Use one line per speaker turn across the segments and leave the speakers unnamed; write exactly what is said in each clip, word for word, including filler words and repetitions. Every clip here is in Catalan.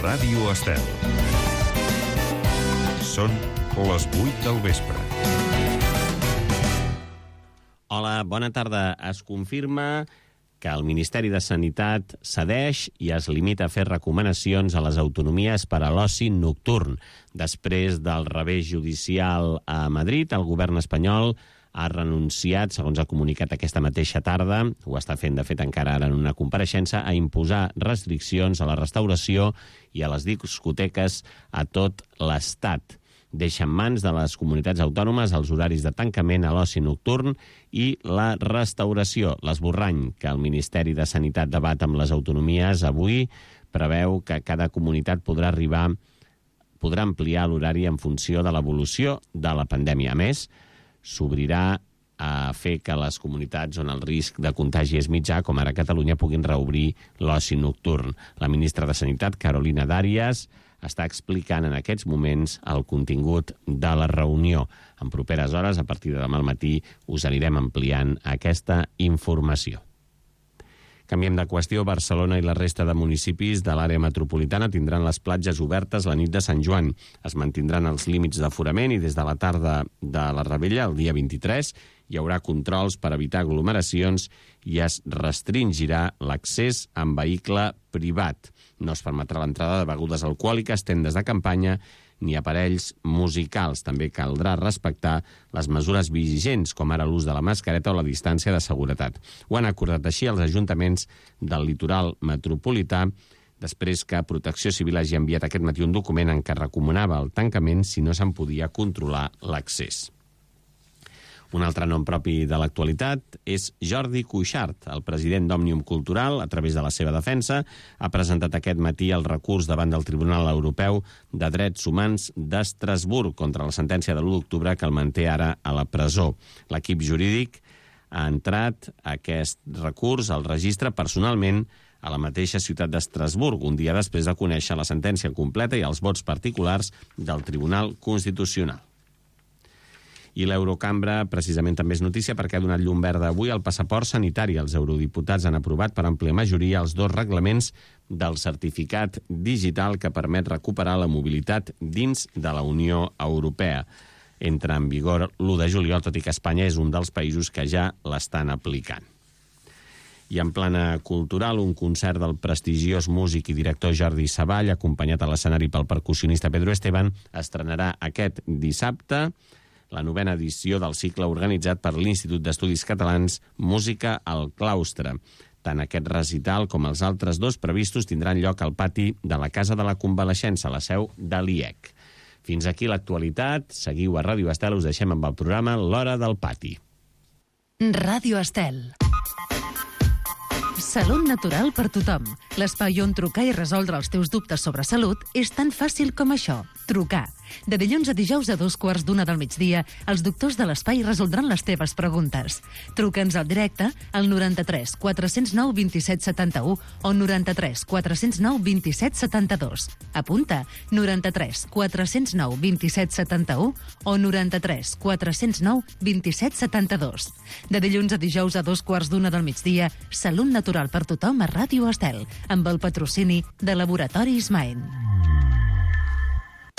Ràdio Estel. Són les vuit del vespre.
Hola, bona tarda. Es confirma que el Ministeri de Sanitat cedeix i es limita a fer recomanacions a les autonomies per a l'oci nocturn. Després del revés judicial a Madrid, el govern espanyol ha renunciat, segons ha comunicat aquesta mateixa tarda, ho està fent de fet encara ara en una compareixença, a imposar restriccions a la restauració i a les discoteques a tot l'Estat. Deixa en mans de les comunitats autònomes els horaris de tancament a l'oci nocturn i la restauració. L'esborrany que el Ministeri de Sanitat debat amb les autonomies avui preveu que cada comunitat podrà arribar, podrà ampliar l'horari en funció de l'evolució de la pandèmia. A més, s'obrirà a fer que les comunitats on el risc de contagi és mitjà, com ara Catalunya, puguin reobrir l'oci nocturn. La ministra de Sanitat, Carolina Darias, està explicant en aquests moments el contingut de la reunió. En properes hores, a partir de demà al matí, us anirem ampliant aquesta informació. Canviem de qüestió. Barcelona i la resta de municipis de l'àrea metropolitana tindran les platges obertes la nit de Sant Joan. Es mantindran els límits d'aforament i des de la tarda de la Rebella, el dia vint-i-tres, hi haurà controls per evitar aglomeracions i es restringirà l'accés en vehicle privat. No es permetrà l'entrada de begudes alcohòliques, tendes de campanya ni aparells musicals. També caldrà respectar les mesures vigents, com ara l'ús de la mascareta o la distància de seguretat. Ho han acordat així els ajuntaments del litoral metropolità, després que Protecció Civil hagi enviat aquest matí un document en què recomanava el tancament si no se'n podia controlar l'accés. Un altre nom propi de l'actualitat és Jordi Cuixart. El president d'Òmnium Cultural, a través de la seva defensa, ha presentat aquest matí el recurs davant del Tribunal Europeu de Drets Humans d'Estrasburg contra la sentència de l'u d'octubre que el manté ara a la presó. L'equip jurídic ha entrat aquest recurs al registre personalment a la mateixa ciutat d'Estrasburg, un dia després de conèixer la sentència completa i els vots particulars del Tribunal Constitucional. I l'Eurocambra precisament també és notícia perquè ha donat llum verda avui al passaport sanitari. Els eurodiputats han aprovat per àmplia majoria els dos reglaments del certificat digital que permet recuperar la mobilitat dins de la Unió Europea. Entra en vigor l'u de juliol, tot i que Espanya és un dels països que ja l'estan aplicant. I en plana cultural, un concert del prestigiós músic i director Jordi Savall, acompanyat a l'escenari pel percussionista Pedro Esteban, estrenarà aquest dissabte la novena edició del cicle organitzat per l'Institut d'Estudis Catalans Música al Claustre. Tant aquest recital com els altres dos previstos tindran lloc al pati de la Casa de la Convalescença, la seu de l'I E C. Fins aquí l'actualitat. Seguiu a Ràdio Estel, us deixem amb el programa L'Hora del Pati.
Ràdio Estel. Salut natural per tothom. L'espai on trucar i resoldre els teus dubtes sobre salut és tan fàcil com això. Trucar. De dilluns a dijous a dos quarts d'una del migdia, els doctors de l'espai resoldran les teves preguntes. Truca'ns al directe al noranta-tres quatre zero nou vint set setanta-u o noranta-tres quatre zero nou vint set setanta-dos. Apunta, noranta-tres quatre zero nou vint set setanta-u o noranta-tres quatre zero nou vint set setanta-dos. De dilluns a dijous a dos quarts d'una del migdia, Salut natural per tothom a Ràdio Estel, amb el patrocini de Laboratoris Maen.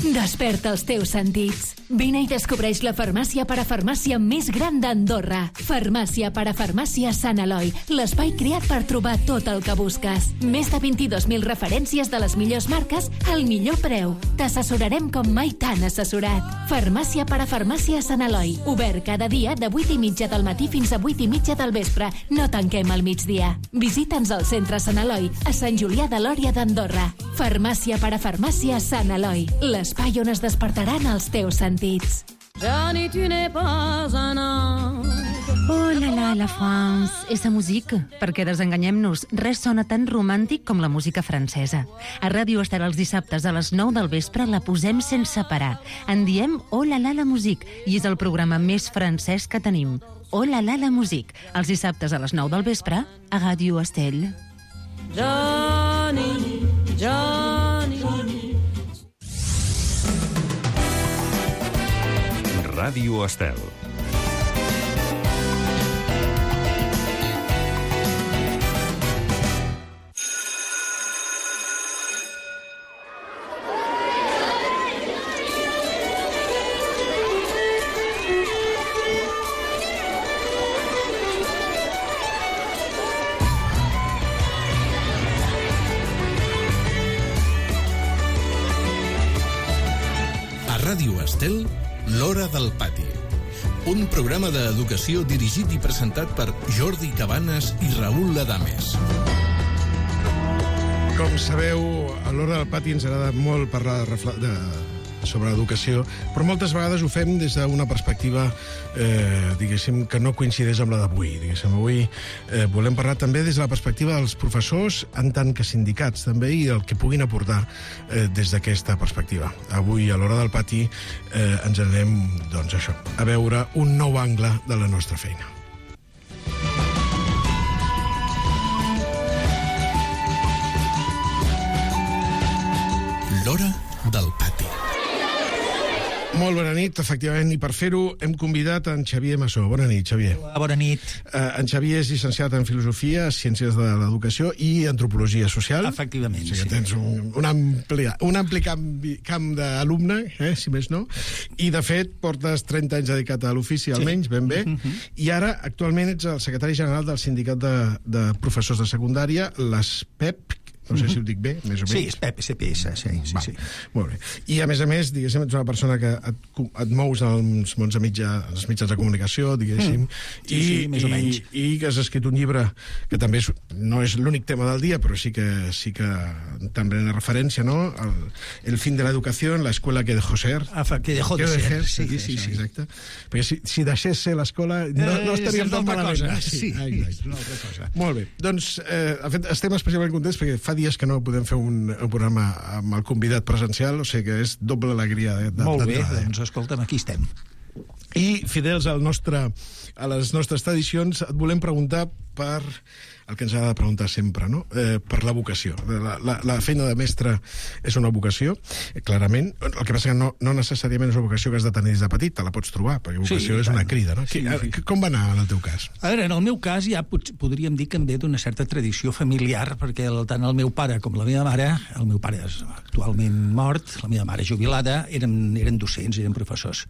Desperta els teus sentits. Vine i descobreix la farmàcia parafarmàcia més gran d'Andorra. Farmàcia parafarmàcia Sant Eloi, l'espai creat per trobar tot el que busques. Més de vint-i-dos mil referències de les millors marques al millor preu. T'assessorarem com mai t'han assessorat. Farmàcia parafarmàcia Sant Eloi, obert cada dia de vuit i mitja del matí fins a vuit i mitja del vespre. No tanquem al migdia. Visita'ns al centre Sant Eloi, a Sant Julià de Lòria d'Andorra. Farmàcia parafarmàcia Sant Eloi, l'espai on es despertaran els teus sentits.
Johnny, tu n'es pas un ange.
Oh la la, la France, esa música. Perquè desenganyem-nos, res sona tan romàntic com la música francesa. A Ràdio Estel els dissabtes a les nou del vespre la posem sense parar. En diem Oh la la, la musique, i és el programa més francès que tenim. Oh la la, la musique, els dissabtes a les nou del vespre a Ràdio Estel.
Johnny, Johnny, Johnny.
Ràdio Estel.
Ràdio Estel, L'Hora del Pati. Un programa d'educació dirigit i presentat per Jordi Cabanes i Raül Ladames.
Com sabeu, a l'Hora del Pati ens agrada molt parlar de, de, sobre l'educació, però moltes vegades ho fem des d'una perspectiva, eh, diguéssim, que no coincideix amb la d'avui. Diguéssim, avui eh, volem parlar també des de la perspectiva dels professors, en tant que sindicats també, i el que puguin aportar eh, des d'aquesta perspectiva. Avui, a l'Hora del Pati, eh, ens anem, doncs això, a veure un nou angle de la nostra feina.
L'Hora del Pati.
Molt bona nit, efectivament, i per fer-ho hem convidat en Xavier Massó. Bona nit, Xavier.
Hola, bona nit.
Uh, en Xavier és llicenciat en Filosofia, Ciències de l'Educació i Antropologia Social.
Efectivament,
o sigui,
sí.
Tens un, un ampli, un ampli camp, camp d'alumne, eh, si més no, i de fet portes trenta anys dedicat a l'ofici, almenys, ben bé, uh-huh. I ara actualment ets el secretari general del Sindicat de, de Professors de Secundària, l'ESPEP, no sé si ho dic bé, més o menys.
Sí, és P P, S P S, sí, sí, sí.
Molt bé. I, a més a més, diguéssim, ets una persona que et, et mous als mons de mitja, als mitjans de comunicació, diguéssim, mm.
sí,
i,
sí, més o menys.
I, i que has escrit un llibre que també és, no és l'únic tema del dia, però sí que sí que també en referència, no? El, el fin de l'educació en l'escola que dejó ser.
Ah, que dejó de ser, sí, sí, sí, sí.
Exacte. Perquè si, si deixés ser l'escola, no, no estaríem tan malament.
Cosa. Sí, ah, sí, és una altra cosa.
Molt bé. Doncs, eh, de fet, estem especialment contents perquè fa dies que no podem fer un, un programa amb el convidat presencial, o sigui que és doble alegria. De, de,
Molt bé, doncs escolta'm, aquí estem.
I, fidels al nostre, a les nostres tradicions, et volem preguntar per el que ens ha de preguntar sempre, no? Eh, per la vocació. La, la, la feina de mestre és una vocació, eh, clarament. El que passa que no, no necessàriament és una vocació que has de tenir des de petit, te la pots trobar, perquè vocació sí, és una crida, no? Sí, sí. Com va anar en el teu cas?
A veure, en el meu cas ja pot, podríem dir que em ve d'una certa tradició familiar, perquè el, tant el meu pare com la meva mare, el meu pare és actualment mort, la meva mare jubilada, eren, eren docents, eren professors.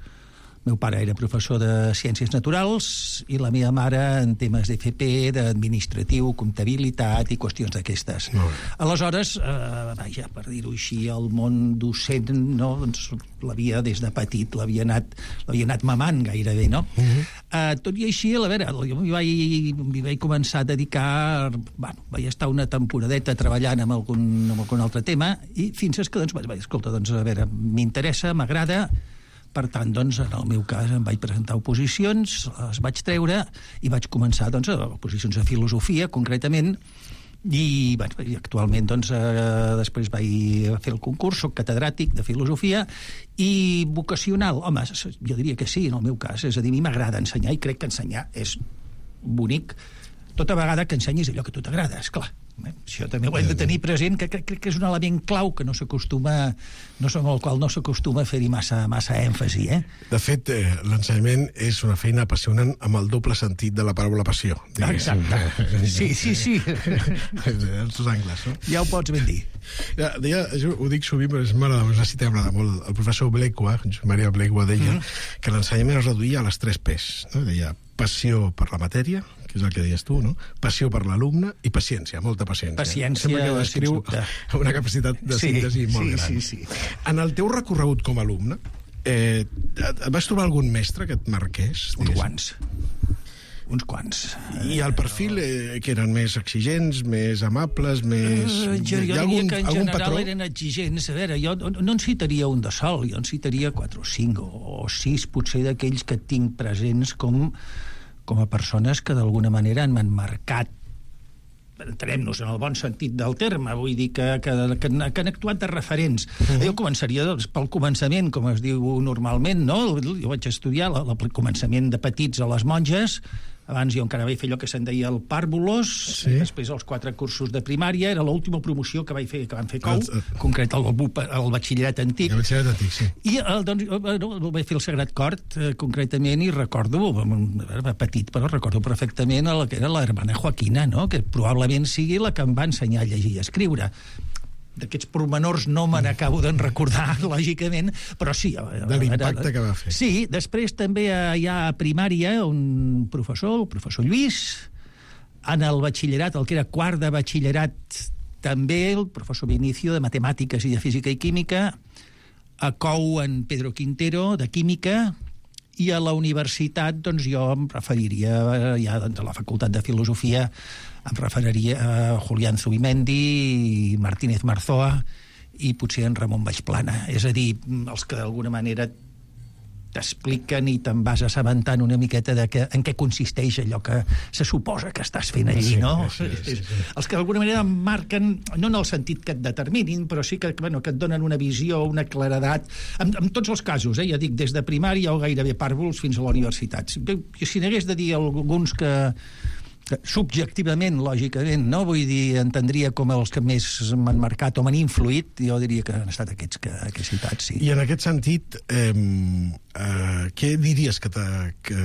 El meu pare era professor de Ciències Naturals i la meva mare en temes d'F P, d'administratiu, comptabilitat i qüestions d'aquestes. No. Aleshores, eh, vaja, per dir-ho així, el món docent, no, doncs, l'havia des de petit, l'havia anat, l'havia anat mamant gairebé, no? Uh-huh. Eh, tot i així, a veure, jo m'hi vaig, m'hi vaig començar a dedicar, bueno, vaig estar una temporadeta treballant amb algun, amb algun altre tema i fins que, doncs, vaig, escolta, doncs, a veure, m'interessa, m'agrada. Per tant, doncs, en el meu cas em vaig presentar oposicions, les vaig treure i vaig començar, doncs, a oposicions de filosofia, concretament, i, bueno, i actualment, doncs, eh, després vaig fer el concurs, soc catedràtic de filosofia, i vocacional, home, jo diria que sí, en el meu cas, és a dir, a mi m'agrada ensenyar i crec que ensenyar és bonic, tota vegada que ensenyis allò que a tu t'agrada, esclar. Eh? Això també ho hem de tenir present, que crec, crec que és un element clau que no s'acostuma, no amb el qual no s'acostuma a fer-hi massa, massa èmfasi. Eh?
De fet, eh, l'ensenyament és una feina apassionant amb el doble sentit de la paraula passió.
Exacte. Sí, sí, sí.
Els dos angles, no?
Ja ho pots ben dir.
Ja, deia, jo ho dic sovint, però és una cita que m'agrada molt. El professor Bleikua, Maria Bleikua, deia mm. que l'ensenyament es reduïa a les tres P's. No? Deia passió per la matèria, que és el que deies tu, no? Passió per l'alumne i paciència, molta paciència.
Paciència,
sembla que descriu una capacitat de síntesi
sí,
molt
sí,
gran.
Sí, sí.
En el teu recorregut com a alumne, eh, et vas trobar algun mestre que et marqués?
Uns quants. Uns quants.
I el perfil, eh, que eren més exigents, més amables, més...
Uh, jo jo
algun,
diria que en general
patró?
Eren exigents. A veure, jo no en citaria un de sol, jo en citaria quatre o cinc o sis, potser d'aquells que tinc presents com... com a persones que d'alguna manera m'han marcat, entenem-nos en el bon sentit del terme, vull dir que, que, que, que han actuat de referents. Uh-huh. Jo començaria doncs, pel començament, com es diu normalment, no? Jo vaig estudiar el, el començament de petits a les monges, abans jo encara vaig fer allò que se'n deia el pàrvulos, sí. Després els quatre cursos de primària, era l'última promoció que vaig fer, que van fer Cou, el, el, concret el, el, el batxillerat antic.
El batxillerat antic, sí.
I el, doncs, no, vaig fer el Sagrat Cort, eh, concretament, i recordo, era petit, però recordo perfectament el que era la hermana Joaquina, no? Que probablement sigui la que em va ensenyar a llegir i a escriure. D'aquests pormenors no me n'acabo d'en recordar, lògicament, però sí.
De l'impacte que va fer.
Sí, després també hi ha a primària un professor, el professor Lluís, en el batxillerat, el que era quart de batxillerat, també el professor Vinicio, de matemàtiques i de física i química, a C O U en Pedro Quintero, de Química, i a la universitat, doncs, jo em referiria, ja doncs, a la Facultat de Filosofia, em referiria a Julián Zubimendi, Martínez Marzoa i potser en Ramon Baixplana. És a dir, els que d'alguna manera t'expliquen i te'n vas assabentant una miqueta de que, en què consisteix allò que se suposa que estàs fent allí,
sí,
no?
Sí, sí, sí.
Els que d'alguna manera marquen, no en el sentit que et determinin, però sí que, bueno, que et donen una visió, una claredat, en, en tots els casos, eh? Ja dic, des de primària o gairebé pàrvuls fins a la universitat. Si, si n'hagués de dir alguns que, que subjectivament, lògicament, no? Vull dir, entendria com els que més m'han marcat o m'han influït, jo diria que han estat aquests que, que he citat, sí.
I en aquest sentit, eh, eh, què diries que, que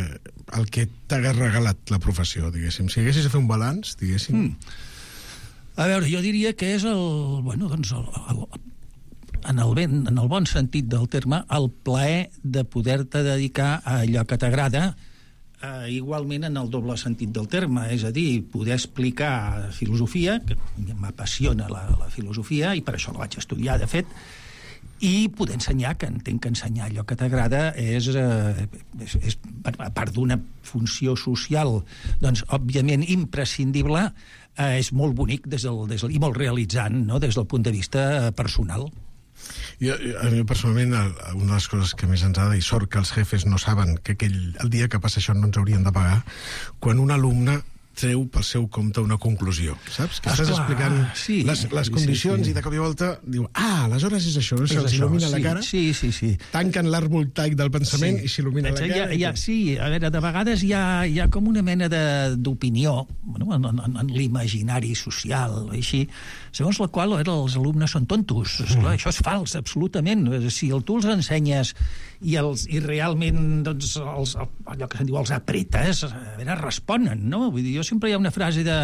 el que t'ha regalat la professió, diguéssim? Si haguessis de fer un balanç, diguéssim... Mm.
A veure, jo diria que és el... Bueno, doncs, el, el, en, el ben, en el bon sentit del terme, el plaer de poder-te dedicar a allò que t'agrada, Uh, igualment en el doble sentit del terme, és a dir, poder explicar filosofia, que m'apassiona la, la filosofia, i per això la vaig estudiar, de fet, i poder ensenyar, que entenc que ensenyar allò que t'agrada és, uh, és, és, a part d'una funció social, doncs, òbviament, imprescindible, uh, és molt bonic des del, des del, i molt realitzant, no?, des del punt de vista personal.
Jo, a mi personalment, una de les coses que més ens agrada, i sort que els jefes no saben que aquell, el dia que passa això no ens haurien de pagar, quan un alumne treu pel seu compte una conclusió, saps? Que estàs explicant
sí,
les, les condicions sí, sí. I de cop i volta diu, ah, aleshores és això, no? Se'ls il·lumina
sí,
la cara,
sí, sí, sí.
tanquen l'arc voltaic del pensament sí. I s'il·lumina la cara.
Hi ha, hi ha, sí, a veure, de vegades hi ha, hi ha com una mena d'opinió, bueno, en, en, en l'imaginari social, així, segons la qual veure, els alumnes són tontos. Mm. Esclar, això és fals, absolutament. Si tu els ensenyes i, els, i realment doncs, els, allò que se'n diu els apretes, a veure, responen, no? Vull dir, jo sempre hi ha una frase de...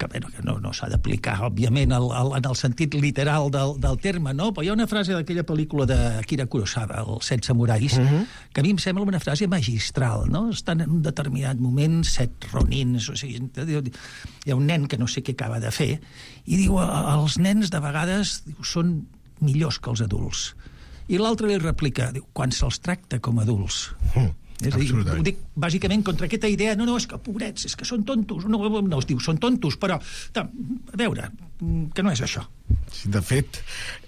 que, bueno, que no, no s'ha d'aplicar, òbviament, el, el, en el sentit literal del, del terme, no? Però hi ha una frase d'aquella pel·lícula d'Akira Kurosawa, Els set samurais, uh -huh. que a mi em sembla una frase magistral, no? Estan en un determinat moment set ronins, o sigui, hi ha un nen que no sé què acaba de fer, i diu, els nens de vegades diu, són millors que els adults. I l'altre li replica, diu, quan se'ls tracta com adults. Uh. És a dir, ho dic bàsicament contra aquesta idea, no, no, és que pobrets, és que són tontos, no, no es diu, són tontos, però, a veure, que no és això.
Sí, de fet,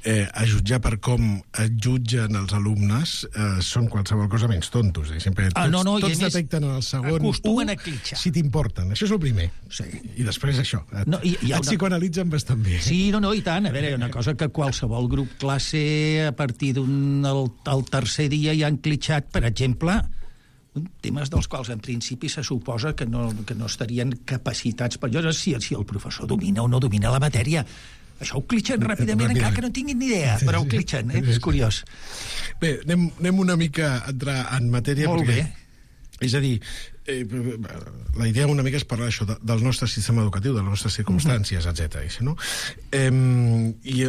eh, a jutjar per com es jutgen els alumnes eh, són qualsevol cosa menys tontos. Eh? Sempre tots, ah, no, no, tots detecten en el segon
acostumen
u,
a clitxar.
Si t'importen. Això és el primer.
Sí.
I després això. Et,
no, i, i
et una... psicoanalitzen bastant bé.
Sí, no, no, i tant. A veure, hi ha una cosa que qualsevol grup classe, a partir d'un el, el tercer dia, ja han clitxat, per exemple, temes dels quals en principi se suposa que no, que no estarien capacitats per allò, si, si el professor domina o no domina la matèria. Això ho clitxen ràpidament, encara que no tinguin ni idea, però ho clitxen, eh? És curiós.
Bé, anem, anem una mica a entrar en matèria.
Molt
perquè,
bé.
És a dir, eh, la idea una mica és parlar això de, del nostre sistema educatiu, de les nostres circumstàncies, uh-huh. etcètera. No? Eh, I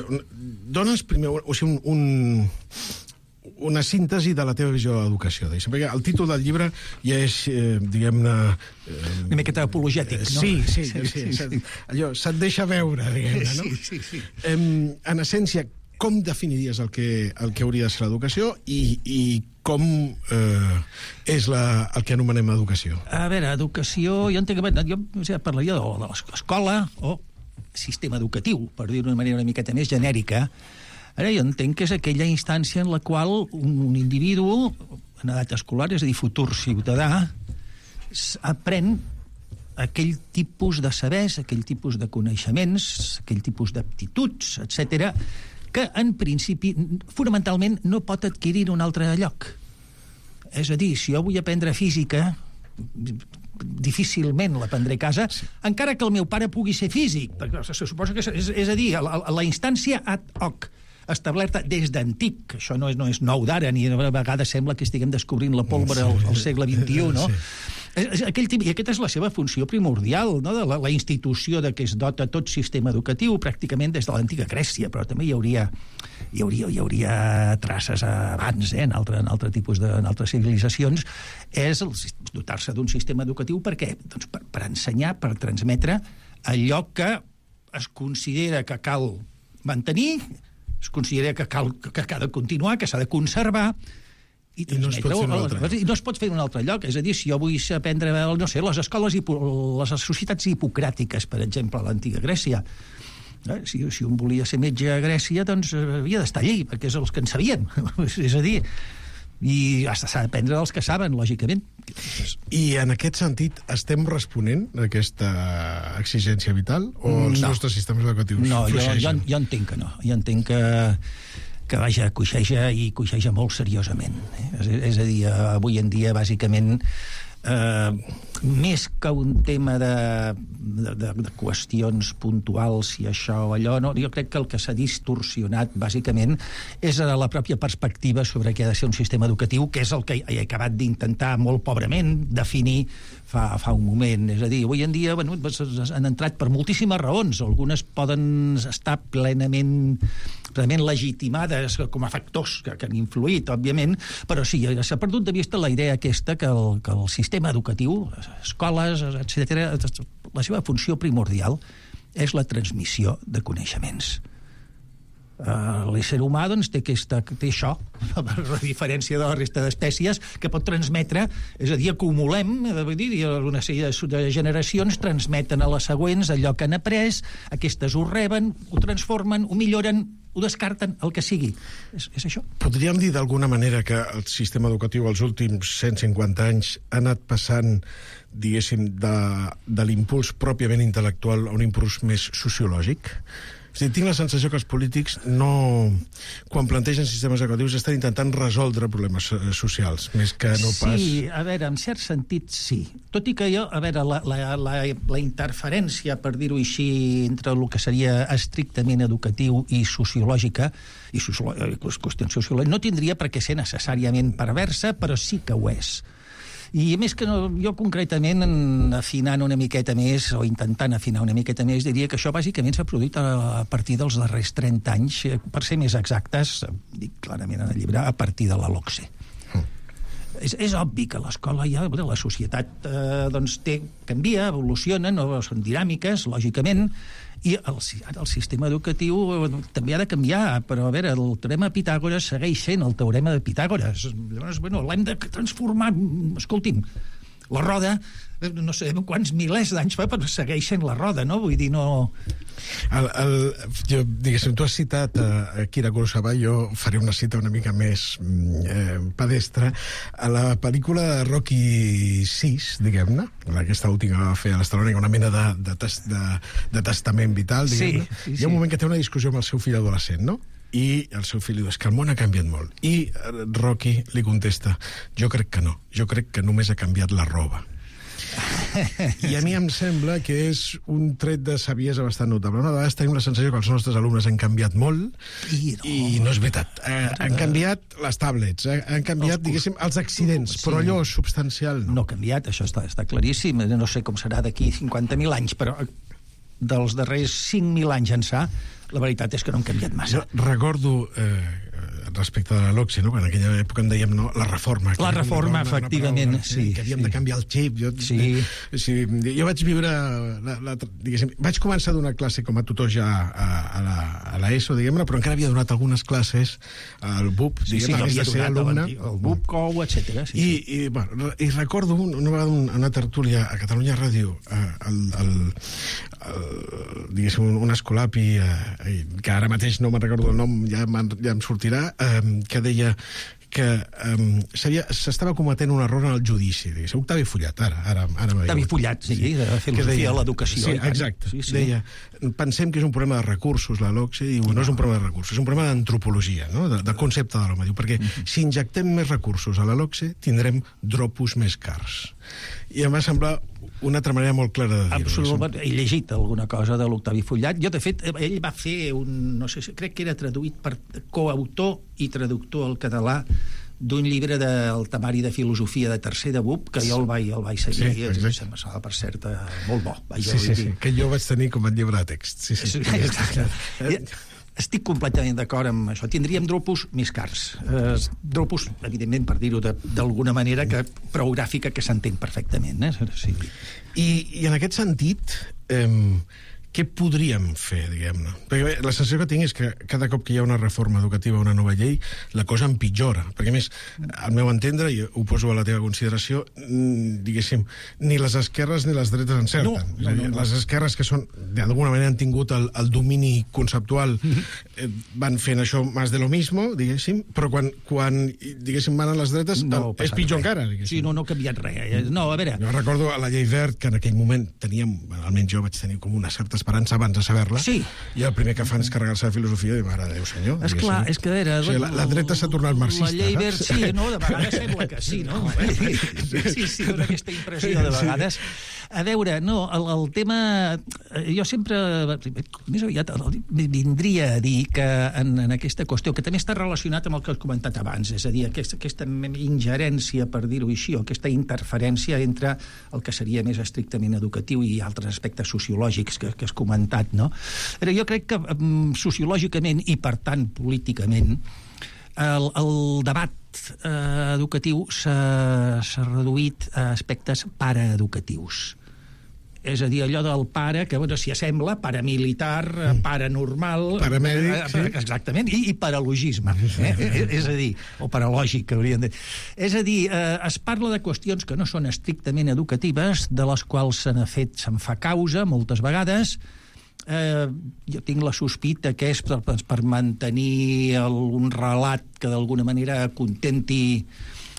dones primer o sigui, un... un una síntesi de la teva visió de l'educació. Perquè el títol del llibre ja és, eh, diguem-ne...
Eh, una miqueta apologètic, no?
Sí, sí, sí, sí, sí, sí. Allò se't deixa veure, diguem-ne, no?
Sí, sí, sí.
Eh, en essència, com definiries el que, el que hauria de ser l'educació i, i com eh, és la, el que anomenem educació?
A veure, educació... Jo entenc que jo o sigui, parlaria de, de l'escola o sistema educatiu, per dir-ho d'una manera una miqueta més genèrica. Ara, jo entenc que és aquella instància en la qual un individu, en edat escolar, és a dir, futur ciutadà, aprèn aquell tipus de sabers, aquell tipus de coneixements, aquell tipus d'aptituds, etcètera, que, en principi, fonamentalment, no pot adquirir en un altre lloc. És a dir, si jo vull aprendre física, difícilment l'aprendré a casa, sí. Encara que el meu pare pugui ser físic, perquè se suposa que és, és a dir, la, la instància ad hoc establerta des d'antic, això no és, no és nou d'ara, ni a vegades sembla que estiguem descobrint la pólvora al, al segle vint-i-u, no? Sí. Aquell, I aquesta és la seva funció primordial, no? De la, la institució de què es dota tot sistema educatiu, pràcticament des de l'antiga Grècia, però també hi hauria, hi hauria, hi hauria traces abans, eh? en, altre, en altre tipus de, en altres civilitzacions, és dotar-se d'un sistema educatiu per què? Doncs per, per ensenyar, per transmetre allò que es considera que cal mantenir, es considera que cal que, que ha de continuar, que s'ha de conservar, i,
I no es pot fer un altre lloc.
I no es pot fer en un altre lloc. És a dir, si jo vull aprendre, no sé, les escoles, hipo, les societats hipocràtiques, per exemple, a l'antiga Grècia, eh? si, si un volia ser metge a Grècia, doncs havia d'estar allí, perquè és els que en sabien. És a dir, i s'ha d'aprendre dels que saben, lògicament.
I en aquest sentit estem responent a aquesta exigència vital o els
no.
nostres sistemes educatius
no, jo,
fluixegen?
jo, jo entenc que no. Jo entenc que, que vaja, coixeja i coixeja molt seriosament. Eh? És, és a dir, avui en dia, bàsicament, eh, més que un tema de, de, de, de qüestions puntuals, si això o allò, no? Jo crec que el que s'ha distorsionat, bàsicament, és la pròpia perspectiva sobre què ha de ser un sistema educatiu, que és el que he acabat d'intentar molt pobrement definir fa, fa un moment. És a dir, avui en dia, bueno, han entrat per moltíssimes raons. Algunes poden estar plenament, plenament legitimades com a factors que, que han influït, òbviament, però sí, s'ha perdut de vista la idea aquesta que el, que el sistema educatiu, escoles, etcètera, la seva funció primordial és la transmissió de coneixements. Uh, l'ésser humà doncs, té, aquesta, té això, a diferència de la resta d'espècies, que pot transmetre, és a dir, acumulem, vull dir, una sèrie de generacions transmeten a les següents allò que han après, aquestes ho reben, ho transformen, ho milloren, ho descarten, el que sigui. És, és això.
Podríem dir d'alguna manera que el sistema educatiu els últims cent cinquanta anys ha anat passant, diguéssim, de, de l'impuls pròpiament intel·lectual a un impuls més sociològic? És a dir, tinc la sensació que els polítics no, quan plantegen sistemes educatius, estan intentant resoldre problemes socials, més que no pas...
Sí, a veure, en cert sentit, sí. Tot i que jo, a veure, la, la, la, la interferència, per dir-ho així, entre el que seria estrictament educatiu i sociològica, i sociològica, qüestions sociològiques, no tindria per què ser necessàriament perversa, però sí que ho és. I més que no, jo concretament, afinant una miqueta més, o intentant afinar una miqueta més, diria que això bàsicament s'ha produït a partir dels darrers trenta anys, per ser més exactes, dic clarament en el llibre, a partir de la LOCSE. Mm. És, és obvi que l'escola ja, la societat eh, doncs té, canvia, evoluciona, no, són dinàmiques, lògicament, i el, el sistema educatiu també ha de canviar, però a veure, el teorema de Pitàgores segueix sent el teorema de Pitàgores. Llavors, bueno, l'hem de transformar. Escolti'm, la roda, no sé quants milers d'anys fa, però segueix sent la roda, no? Vull dir, no...
El, el, jo, diguéssim, tu has citat a Akira Kurosawa, jo faré una cita una mica més eh, pedestre. A la pel·lícula de Rocky sis, diguem-ne, aquesta última que va fer a l'Estalònia, una mena de, de, tes, de, de testament vital, diguem-ne, sí, sí, hi ha un moment que té una discussió amb el seu fill adolescent, no? I el seu fill li diu, és que el món ha canviat molt. I Rocky li contesta, jo crec que no, jo crec que només ha canviat la roba. I a mi em sembla que és un tret de saviesa bastant notable. Una vegada tenim la sensació que els nostres alumnes han canviat molt i no, i no és veritat. Eh, han canviat les tablets, eh, han canviat, els, diguéssim, els accidents, sí, però allò substancial no.
No ha canviat, això està, està claríssim. No sé com serà d'aquí cinquanta mil anys, però dels darrers cinc mil anys ençà, la veritat és que no han canviat massa.
Jo recordo... Eh, respecte de la LOCSE, no? En aquella època en dèiem no, la reforma.
La reforma, una, efectivament, una paraula, sí.
Que havíem sí. de canviar el xip. Jo,
sí.
eh, sí, jo vaig viure... La, la, diguéssim, vaig començar a donar classe com a tutor ja a, a, la, a l'ESO, diguem-ne, però encara havia donat algunes classes al B U P,
sí,
diguem, sí, abans de ser alumne.
El B U P, C O U, etcètera. Sí,
I,
sí.
I, bueno, I recordo un, una vegada una, una tertúlia a Catalunya Ràdio, el, el, el, diguéssim, un escolapi, eh, que ara mateix no me'n recordo el nom, ja, ja em sortirà, que deia que um, s'estava cometent un error en el judici. Digués. Octavi Follat, ara. ara, ara
Octavi Follat, sí, de filosofia de l'educació.
Sí, exacte. Sí, sí. Deia, pensem que és un problema de recursos, la LOCSE, i no, no és un problema de recursos, és un problema d'antropologia, no? de, del concepte de l'home. Diu, perquè uh-huh. si injectem més recursos a la LOCSE, tindrem dropos més cars. I em va semblar una altra manera molt clara de dir-ho.
Absolutament. He llegit alguna cosa de l'Octavi Follat. Jo, de fet, ell va fer un... no sé, crec que era traduït per coautor i traductor al català d'un llibre del temari de filosofia de tercer de B U P, que jo el vaig, el vaig seguir. Sí, exacte. Em sembla, per cert, molt bo.
Sí, sí, sí, que jo vaig tenir com a llibre de text. Sí, sí.
Sí, exacte. Estic completament d'acord amb això. Tindríem dropos més cars. Eh, dropos, evidentment, per dir-ho d'alguna manera, que prou gràfica, que s'entén perfectament. Eh? Sí.
I, I en aquest sentit, eh, què podríem fer, diguem-ne? Perquè bé, la sensació que tinc és que cada cop que hi ha una reforma educativa, una nova llei, la cosa empitjora. Perquè, a més, al meu entendre, i ho poso a la teva consideració, diguéssim, ni les esquerres ni les dretes encerten. No, no, no, no. Les esquerres que són, d'alguna manera han tingut el, el domini conceptual, eh, van fent això més de lo mismo, diguéssim, però quan, quan diguéssim, van a les dretes, no, és pitjor res. Encara. Diguéssim.
Sí, no, no ha canviat res. No, a veure...
Jo recordo a la llei Wert, que en aquell moment teníem, almenys jo vaig tenir com una certa esperança abans de saber-la,
sí.
I el primer que fan és carregar-se de filosofia i dir, mare de Déu, senyor.
És clar, és que era...
O sigui, la, la dreta s'ha tornat marxista,
la llei Wert, sí, no? De vegades sembla que sí, no? Sí, sí, dona aquesta impressió de vegades. A veure, no, el, el tema... Jo sempre, més aviat, vindria a dir que en, en aquesta qüestió, que també està relacionat amb el que has comentat abans, és a dir, aquesta, aquesta ingerència, per dir-ho així, o aquesta interferència entre el que seria més estrictament educatiu i altres aspectes sociològics que, que has comentat, no? Però jo crec que sociològicament i, per tant, políticament, el, el debat eh, educatiu s'ha reduït a aspectes paraeducatius. És a dir, allò del pare, que bueno, s'hi assembla, paramilitar, paranormal...
Paramèdic, sí.
Exactament, i, i paralogisme, eh? És a dir, o paralògic, que hauríem de... És a dir, eh, es parla de qüestions que no són estrictament educatives, de les quals se n'ha fet, se'n fa causa, moltes vegades. Eh, jo tinc la sospita que és per, per mantenir el, un relat que d'alguna manera contenti...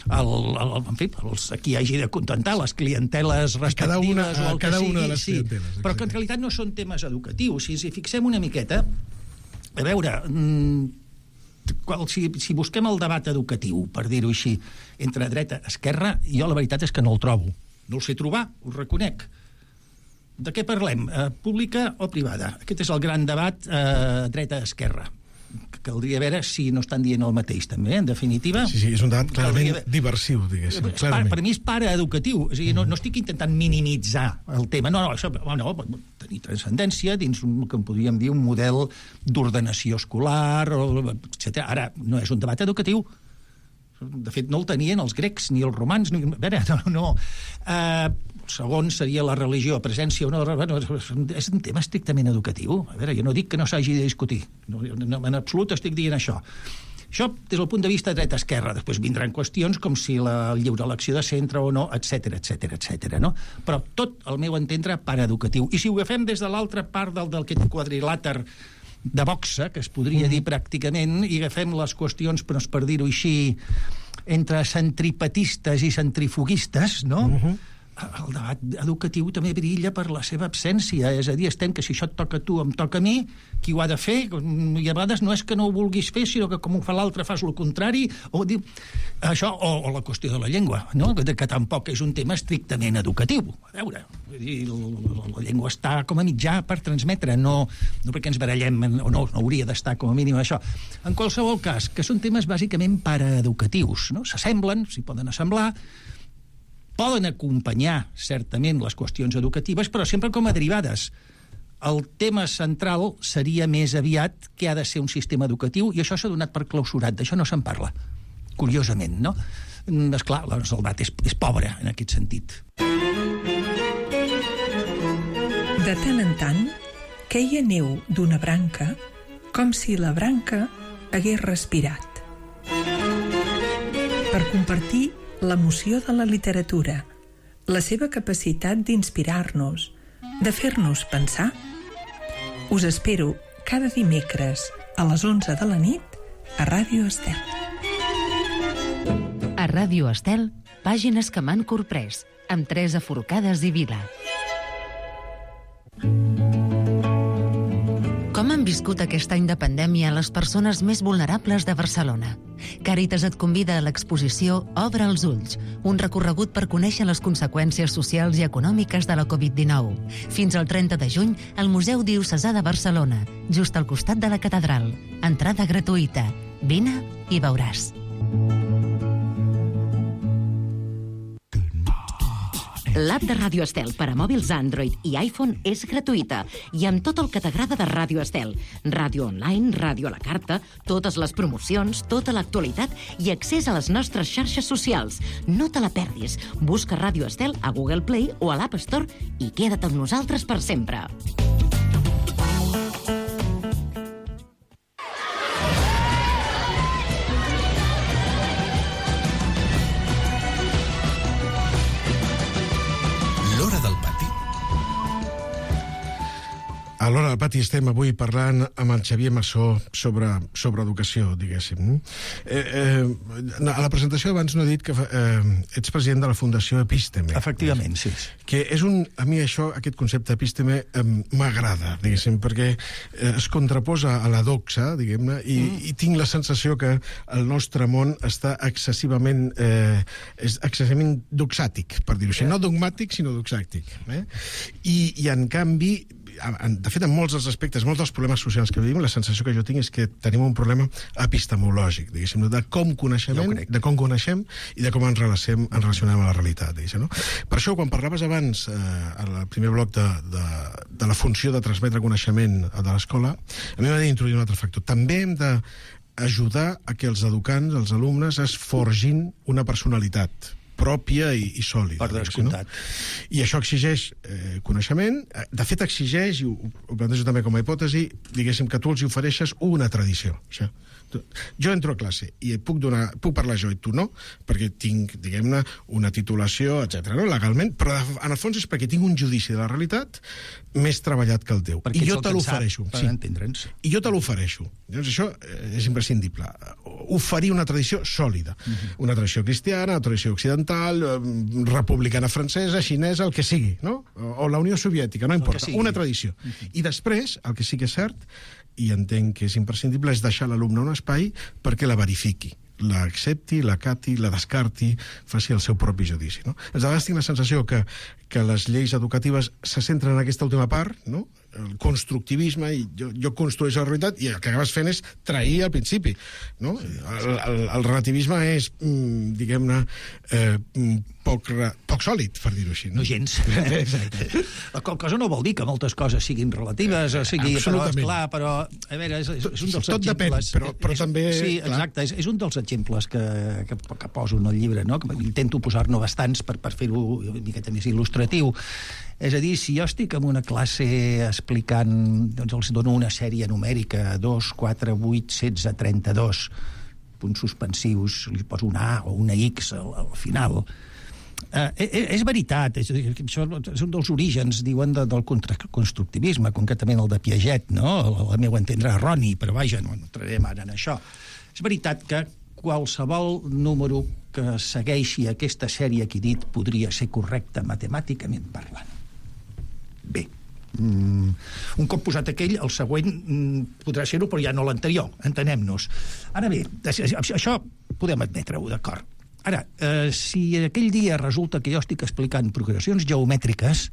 El, el, en fi, els, qui hagi de contentar les clienteles respectives
cada una,
o el
cada
que sigui,
una de les
sí,
clienteles,
però que en realitat no són temes educatius. Si, si fixem una miqueta, a veure, mmm, qual, si, si busquem el debat educatiu, per dir-ho així, entre dreta i esquerra, jo la veritat és que no el trobo. No el sé trobar, ho reconec. De què parlem? Eh, pública o privada? Aquest és el gran debat eh, dreta-esquerra. Caldria veure si no estan dient el mateix, també, en definitiva.
Sí, sí, és un debat clarament Caldria... diversiu, diguéssim.
Per, per mi és paraeducatiu, és a dir, no, no estic intentant minimitzar el tema, no, no, això, no, tenir transcendència dins un, que en podríem dir un model d'ordenació escolar, etcètera. Ara, no és un debat educatiu, de fet no el tenien els grecs ni els romans, ni... a veure, no, no. Uh, segon seria la religió, presència o no, és un tema estrictament educatiu. A veure, jo no dic que no s'hagi de discutir, no, no, en absolut estic dient això. Això des del punt de vista dreta-esquerra, després vindran qüestions com si la lliure elecció de centre o no, etcètera, etcètera, etcètera, no? Però tot, al meu entendre, paraeducatiu. I si ho agafem des de l'altra part del, del quadrilàter de boxa, que es podria dir pràcticament, i agafem les qüestions, però per dir-ho així, entre centripetistes i centrifuguistes, no? Uh-huh. El debat educatiu també brilla per la seva absència, és a dir, estem que si això et toca a tu, em toca a mi, qui ho ha de fer, i a vegades no és que no ho vulguis fer, sinó que com ho fa l'altre fas el contrari, o dir, això, o, o la qüestió de la llengua, no? que, que tampoc és un tema estrictament educatiu. A veure, la llengua està com a mitjà per transmetre, no, no perquè ens barallem, o no, no hauria d'estar com a mínim això. En qualsevol cas, que són temes bàsicament paraeducatius, no? S'assemblen, s'hi poden assemblar, poden acompanyar, certament, les qüestions educatives, però sempre com a derivades. El tema central seria més aviat que ha de ser un sistema educatiu, i això s'ha donat per clausurat, d'això no se'n parla, curiosament, no? Esclar, el debat és, és pobre, en aquest sentit.
De tant en tant, queia neu d'una branca com si la branca hagués respirat. Per compartir l'emoció de la literatura, la seva capacitat d'inspirar-nos, de fer-nos pensar, us espero cada dimecres a les onze de la nit a Ràdio Estel.
A Ràdio Estel, pàgines que m'han corprès, amb Teresa Forcades i Vila. Com han viscut aquest any de pandèmia les persones més vulnerables de Barcelona? Càritas et convida a l'exposició Obre els ulls, un recorregut per conèixer les conseqüències socials i econòmiques de la covid dinou. Fins al trenta de juny, al Museu Diocesà de Barcelona, just al costat de la catedral. Entrada gratuïta. Vine i veuràs.
L'app de Ràdio Estel per a mòbils Android i iPhone és gratuïta i amb tot el que t'agrada de Ràdio Estel. Ràdio online, ràdio a la carta, totes les promocions, tota l'actualitat i accés a les nostres xarxes socials. No te la perdis. Busca Ràdio Estel a Google Play o a l'App Store i queda't amb nosaltres per sempre.
A l'Hora del Pati estem avui parlant amb el Xavier Massó sobre, sobre educació, diguéssim. Eh, eh, a la presentació abans no he dit que eh, ets president de la Fundació Episteme.
Efectivament, sí.
Que és un... A mi això, aquest concepte Episteme, eh, m'agrada, diguéssim, perquè eh, es contraposa a la doxa, diguem-ne, i, mm. i tinc la sensació que el nostre món està excessivament, eh, és excessivament doxàtic, per dir-ho així. No dogmàtic, sinó doxàtic. Eh? I, I, en canvi, de fet, en molts dels aspectes, molts dels problemes socials que vivim, la sensació que jo tinc és que tenim un problema epistemològic, diguéssim, de com coneixem, de com coneixem i de com ens relacionem, ens relacionem a la realitat, diguéssim, no? Per això, quan parlaves abans, eh, al primer bloc de, de, de la funció de transmetre coneixement de l'escola, a mi m'ha d'introduir un altre factor. També hem de ajudar a que els educants, els alumnes, es forgin una personalitat pròpia i, i sòlida.
Per descomptat.
No? I això exigeix eh, coneixement. De fet, exigeix, i ho, ho plantejo també com a hipòtesi, diguéssim que tu els ofereixes una tradició. O sigui, jo entro a classe i puc, donar, puc parlar jo i tu no, perquè tinc, diguem-ne, una titulació, etcètera, no? Legalment, però en el fons és perquè tinc un judici de la realitat més treballat que el teu.
Perquè
I jo te l'ofereixo.
Per entendre'ns.
I jo te l'ofereixo. Llavors, això és imprescindible. Oferir una tradició sòlida. Uh-huh. Una tradició cristiana, una tradició occidental, republicana francesa, xinesa, el que sigui, no? O, o la Unió Soviètica, no importa. Una tradició. Uh-huh. I després, el que sí que és cert, i entenc que és imprescindible, és deixar l'alumne un espai perquè la verifiqui, l'accepti, l'acati, la descarti, faci el seu propi judici. No? A vegades tinc la sensació que, que les lleis educatives se centren en aquesta última part, no? El constructivisme, i jo, jo construeixo la realitat, i el que acabes fent és trair al principi. No? El, el, el relativisme és, mm, diguem-ne, eh, poc, poc sòlid, per dir-ho així.
No, no gens. Exacte. La qual cosa no vol dir que moltes coses siguin relatives, o sigui, però, esclar, però, a veure, és, és un dels
Tot
exemples...
Tot depèn, però, però
és,
també...
Sí, exacte, és, és un dels exemples que, que, que poso en el llibre, no? Que intento posar-ne bastants per, per fer-ho una miqueta més il·lustratiu. És a dir, si jo estic en una classe explicant, doncs els dono una sèrie numèrica, dos, quatre, vuit, setze, trenta-dos, punts suspensius, li poso una A o una X al, al final. Eh, és veritat, és, això és un dels orígens, diuen, de, del constructivisme, concretament el de Piaget, no? El meu entendre erroni, però vaja, no entrarem ara en això. És veritat que qualsevol número que segueixi aquesta sèrie que he dit podria ser correcte matemàticament parlant. Bé, mm, un cop posat aquell, el següent mm, podrà ser-ho, però ja no l'anterior, entenem-nos. Ara bé, això podem admetre-ho, d'acord. Ara, eh, si aquell dia resulta que jo estic explicant progressions geomètriques,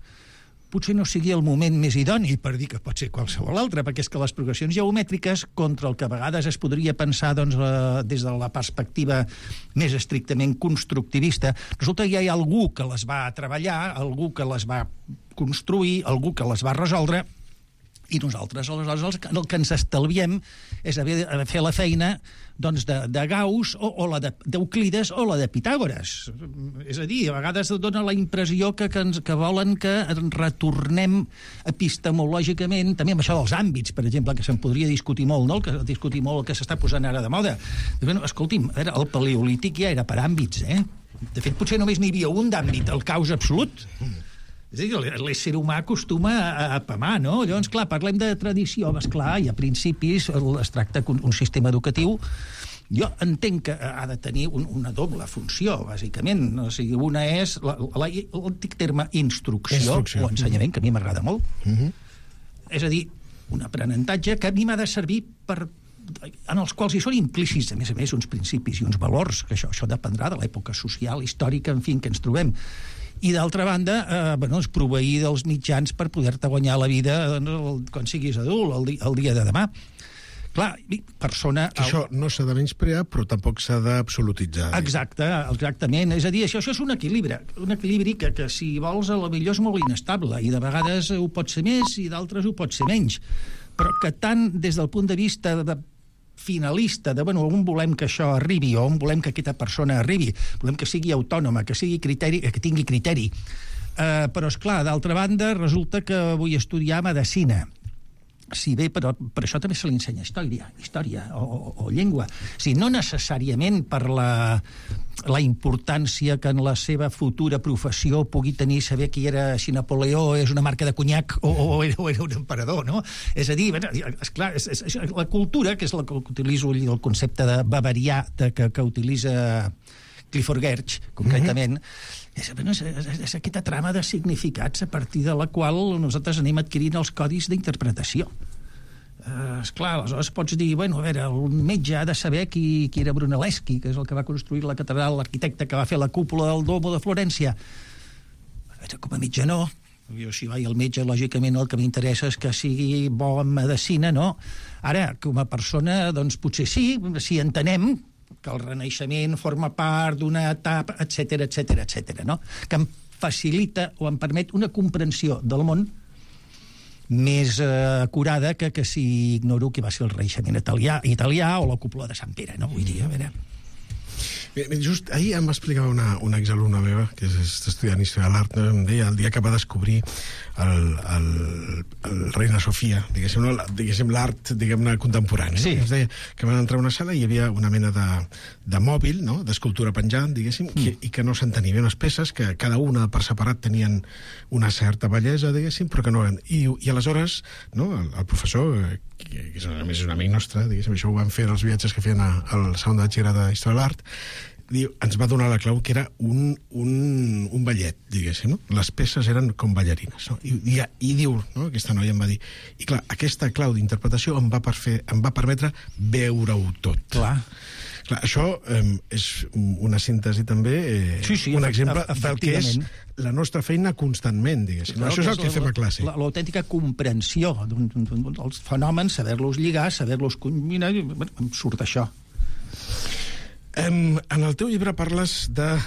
potser no sigui el moment més idoni per dir que pot ser qualsevol altre, perquè és que les progressions geomètriques, contra el que a vegades es podria pensar doncs, eh, des de la perspectiva més estrictament constructivista, resulta que hi ha algú que les va treballar, algú que les va construir, algú que les va resoldre, i nosaltres, aleshores, el que ens estalviem és haver de fer la feina doncs, de, de Gauss o, o la d'Euclides o la de Pitàgores. És a dir, a vegades dona la impressió que, que, ens, que volen que retornem epistemològicament, també amb això dels àmbits, per exemple, que se'n podria discutir molt, no? El que discutir molt el que s'està posant ara de moda. Bueno, escolti'm, a veure, el paleolític ja era per àmbits, eh? De fet, potser només n'hi havia un d'àmbit, el caos absolut. És a dir, l'ésser humà acostuma a, a pamar, no? Llavors, clar, parlem de tradició, esclar, i a principis es tracta d'un sistema educatiu. Jo entenc que ha de tenir un, una doble funció, bàsicament. O sigui, una és l'antic terme instrucció, instrucció, o ensenyament, que a mi m'agrada molt. Uh-huh. És a dir, un aprenentatge que a mi m'ha de servir per en els quals hi són implícits, a més a més, uns principis i uns valors, que això, això dependrà de l'època social, històrica, en fi, en què ens trobem. I d'altra banda, eh, bueno, és proveir dels mitjans per poder-te guanyar la vida doncs, quan siguis adult, el, di el dia de demà. Clar, persona...
Que això no s'ha de menysprear, però tampoc s'ha d'absolutitzar.
Exacte, exactament. És a dir, això, això és un equilibri, un equilibri que, que si vols, a la millor és molt inestable, i de vegades ho pot ser més i d'altres ho pot ser menys. Però que tant des del punt de vista de finalista, de, bueno, on volem que això arribi, o on volem que aquesta persona arribi, volem que sigui autònoma, que sigui criteri, que tingui criteri. Uh, però, és clar, d'altra banda, resulta que vull estudiar medicina. si bé, però per això també se li ensenya història, història o, o, o llengua. O sigui, no necessàriament per la, la importància que en la seva futura professió pugui tenir saber qui era, si Napoleó és una marca de conyac o, o, era, o era un emperador, no? És a dir, esclar, és, és, és, la cultura, que és la que utilitzo el concepte de bavarià de, que, que utilitza Clifford Geertz, concretament, mm-hmm. És, és, és, és aquesta trama de significats a partir de la qual nosaltres anem adquirint els codis d'interpretació. Uh, esclar, aleshores pots dir, bueno, a veure, el metge ha de saber qui, qui era Brunelleschi, que és el que va construir la catedral, l'arquitecte que va fer la cúpula del Domo de Florència. A veure, com a metge no. Jo, si vaig al metge, lògicament el que m'interessa és que sigui bo en medicina, no? Ara, com a persona, doncs potser sí, si entenem que el Renaixement forma part d'una etapa, etcètera, etcètera, etcètera, no? Que em facilita o em permet una comprensió del món més eh, acurada que, que si ignoro que va ser el Renaixement italià, italià o la cúpula de Sant Pere, no? Vull dir, a veure...
Just ahir em va explicar una, una exalumna meva, que és estudiant història de l'art, em deia el dia que va descobrir el, el, el Reina Sofia, diguéssim, no, diguéssim l'art, diguem-ne, contemporani. Sí. Es deia que van entrar a una sala i hi havia una mena de, de mòbil, no?, d'escultura penjant, diguéssim, mm. que, i que no s'entenia bé unes peces, que cada una per separat tenien una certa bellesa, diguéssim, però que no... I, i aleshores, no?, el, el professor, que, que és, a més és un amic nostre, diguéssim, això ho van fer els viatges que feien a, al segon de batxillerat d'Història de l'Art, diu, ens va donar la clau que era un, un, un ballet, diguéssim, no? Les peces eren com ballarines, no? I, i, i diu, no?, aquesta noia em va dir, i clar, aquesta clau d'interpretació em va, per fer, em va permetre veure-ho tot.
Clar.
Clar, això eh, és una síntesi també, eh, sí, sí, un exemple del que és la nostra feina constantment, diguéssim. Clar, això és el que fem a classe.
L'autèntica comprensió dels fenòmens, saber-los lligar, saber-los combinar, em surt això.
Um, en el teu llibre parles de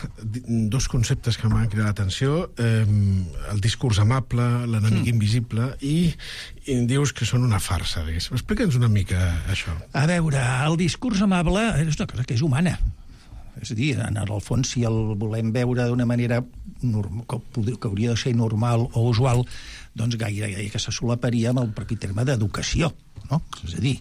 dos conceptes que m'han cridat l'atenció, um, el discurs amable, l'enemic mm. invisible, i, i dius que són una farsa. Explica'ns una mica això.
A veure, el discurs amable és una cosa que és humana. És a dir, en el fons, si el volem veure d'una manera normal, que, que hauria de ser normal o usual, doncs gairebé que se solaparia amb el propi terme d'educació, no? És a dir,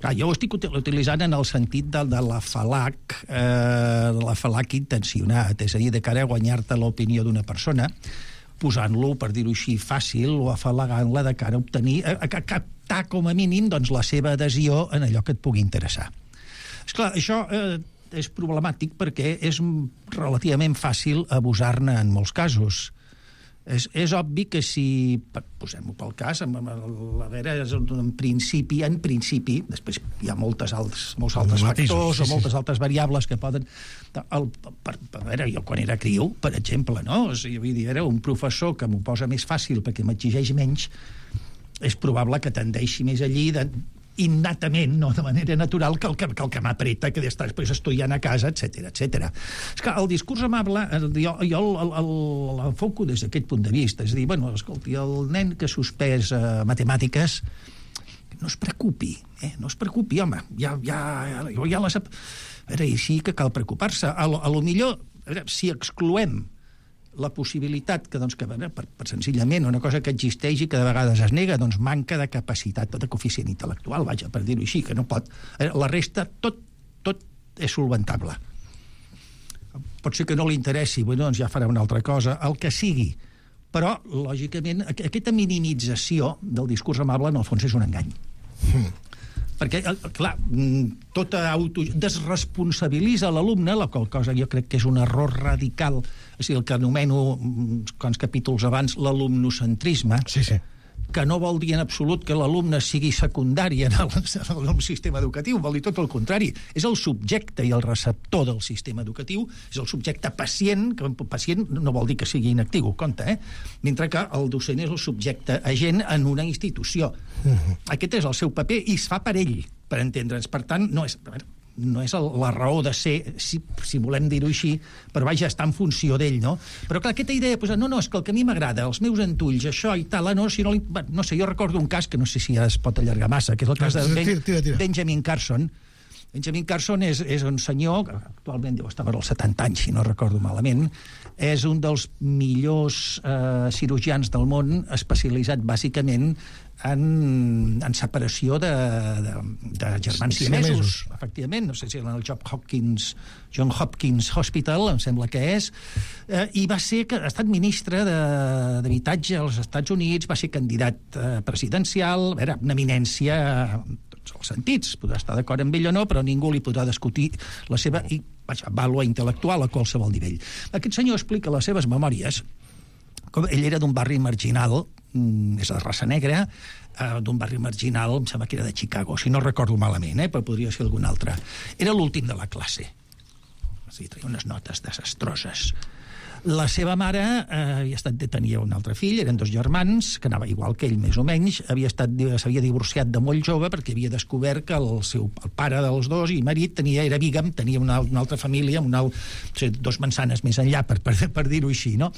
clar, jo ho estic utilitzant en el sentit de, de l'afalac, eh, de l'afalac intencionat, és a dir, de cara a guanyar-te l'opinió d'una persona, posant-lo, per dir-ho així, fàcil, o afalagant-la de cara a obtenir, a, a captar com a mínim doncs, la seva adhesió en allò que et pugui interessar. Esclar, això eh, és problemàtic perquè és relativament fàcil abusar-ne en molts casos. És, és obvi que si, posem-ho pel cas, a veure, en principi, en principi, després hi ha moltes altres, molts altres factors sí, sí. o moltes altres variables que poden... El, per, a veure, jo quan era criu, per exemple, no? O sigui, vull dir, era un professor que m'ho posa més fàcil perquè m'exigeix menys, és probable que tendeixi més allí de, innatament, no de manera natural, que el que, que, el que m'apreta, que d'estar després estudiant a casa, etcètera, etcètera. És que el discurs amable, jo, jo l'enfoco des d'aquest punt de vista. És a dir, bueno, escolti, el nen que ha suspès eh, matemàtiques, no es preocupi, eh? no es preocupi, home, ja, ja, ja, ja les... A veure, i sí que cal preocupar-se. A, a lo millor, a veure, si excloem la possibilitat que, doncs, que per, per senzillament una cosa que existeix i que de vegades es nega, doncs manca de capacitat de coeficient intel·lectual, vaja, per dir-ho així, que no pot... La resta, tot, tot és solventable. Pot ser que no li interessi, bueno, doncs ja farà una altra cosa, el que sigui. Però, lògicament, aquesta minimització del discurs amable, en el fons, és un engany. Mm. Perquè, clar, tota auto... desresponsabilitza l'alumne, la qual cosa jo crec que és un error radical, és a dir, el que anomeno, quants capítols abans, l'alumnocentrisme,
sí, sí.
que no vol dir en absolut que l'alumne sigui secundari en el, en el sistema educatiu, vol dir tot el contrari. És el subjecte i el receptor del sistema educatiu, és el subjecte pacient, que pacient no vol dir que sigui inactiu, compte, eh? Mentre que el docent és el subjecte agent en una institució. Uh-huh. Aquest és el seu paper i es fa per ell, per entendre'ns. Per tant, no és... no és la raó de ser, si, si volem dir-ho així, però vaja, està en funció d'ell, no? Però clar, aquesta idea, doncs, no, no, és que el que a mi m'agrada, els meus entulls, això i tal, no, si no, li, no sé, jo recordo un cas que no sé si ja es pot allargar massa, que és el cas de ben, Benjamin Carson, Benjamin Carson és, és un senyor, que actualment deu estar per als setanta anys, si no recordo malament, és un dels millors eh, cirurgians del món, especialitzat bàsicament en, en separació de, de, de germans siamesos, efectivament. No sé si en el John Hopkins, John Hopkins Hospital, em sembla que és, eh, i va ser, ha estat ministre d'Habitatge als Estats Units, va ser candidat eh, presidencial, era una eminència en tots els sentits, podrà estar d'acord amb ell o no, però ningú li podrà discutir la seva i, vaja, vàlua intel·lectual a qualsevol nivell. Aquest senyor explica les seves memòries com ell era d'un barri marginal, és de raça negra, eh, d'un barri marginal, em sembla que era de Chicago, si no recordo malament, eh, però podria ser algun altre. Era l'últim de la classe. O sigui, tenia unes notes desastroses. La seva mare eh, havia estat, tenia un altre fill, eren dos germans, que anava igual que ell, més o menys, havia estat, s'havia divorciat de molt jove perquè havia descobert que el, seu, el pare dels dos i marit tenia, era bígam, tenia una, una altra família, una, o sigui, dos mansanes més enllà, per, per, per dir-ho així, no?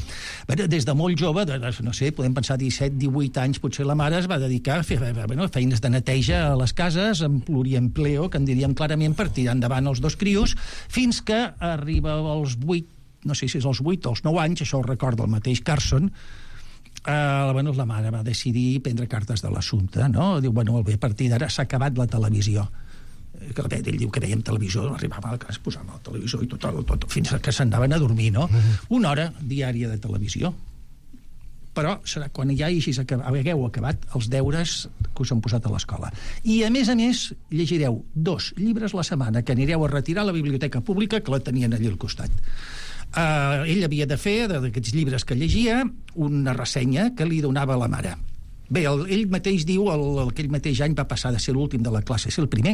Bé, des de molt jove, de, no sé, podem pensar disset, divuit anys, potser la mare es va dedicar a fer bueno, feines de neteja a les cases, amb pluriempleo, que en diríem clarament, per tirar endavant els dos crios, fins que arriba als vuit, no sé si és als vuit o als nou anys, això ho recorda el mateix Carson, eh, bueno, la mare va decidir prendre cartes de l'assumpte, no? Diu, bueno, bé, a partir d'ara s'ha acabat la televisió. Que ell diu que veiem televisió, arribava a casa, posàvem el televisor i tot, tot, tot fins que s'anaven a dormir, no? Una hora diària de televisió. Però serà quan ja acabat, hagueu acabat els deures que us han posat a l'escola. I, a més a més, llegireu dos llibres la setmana que anireu a retirar a la biblioteca pública, que la tenien allà al costat. Uh, ell havia de fer, d'aquests llibres que llegia, una ressenya que li donava a la mare. Bé, el, ell mateix diu, el, el, aquell mateix any va passar de ser l'últim de la classe a ser el primer.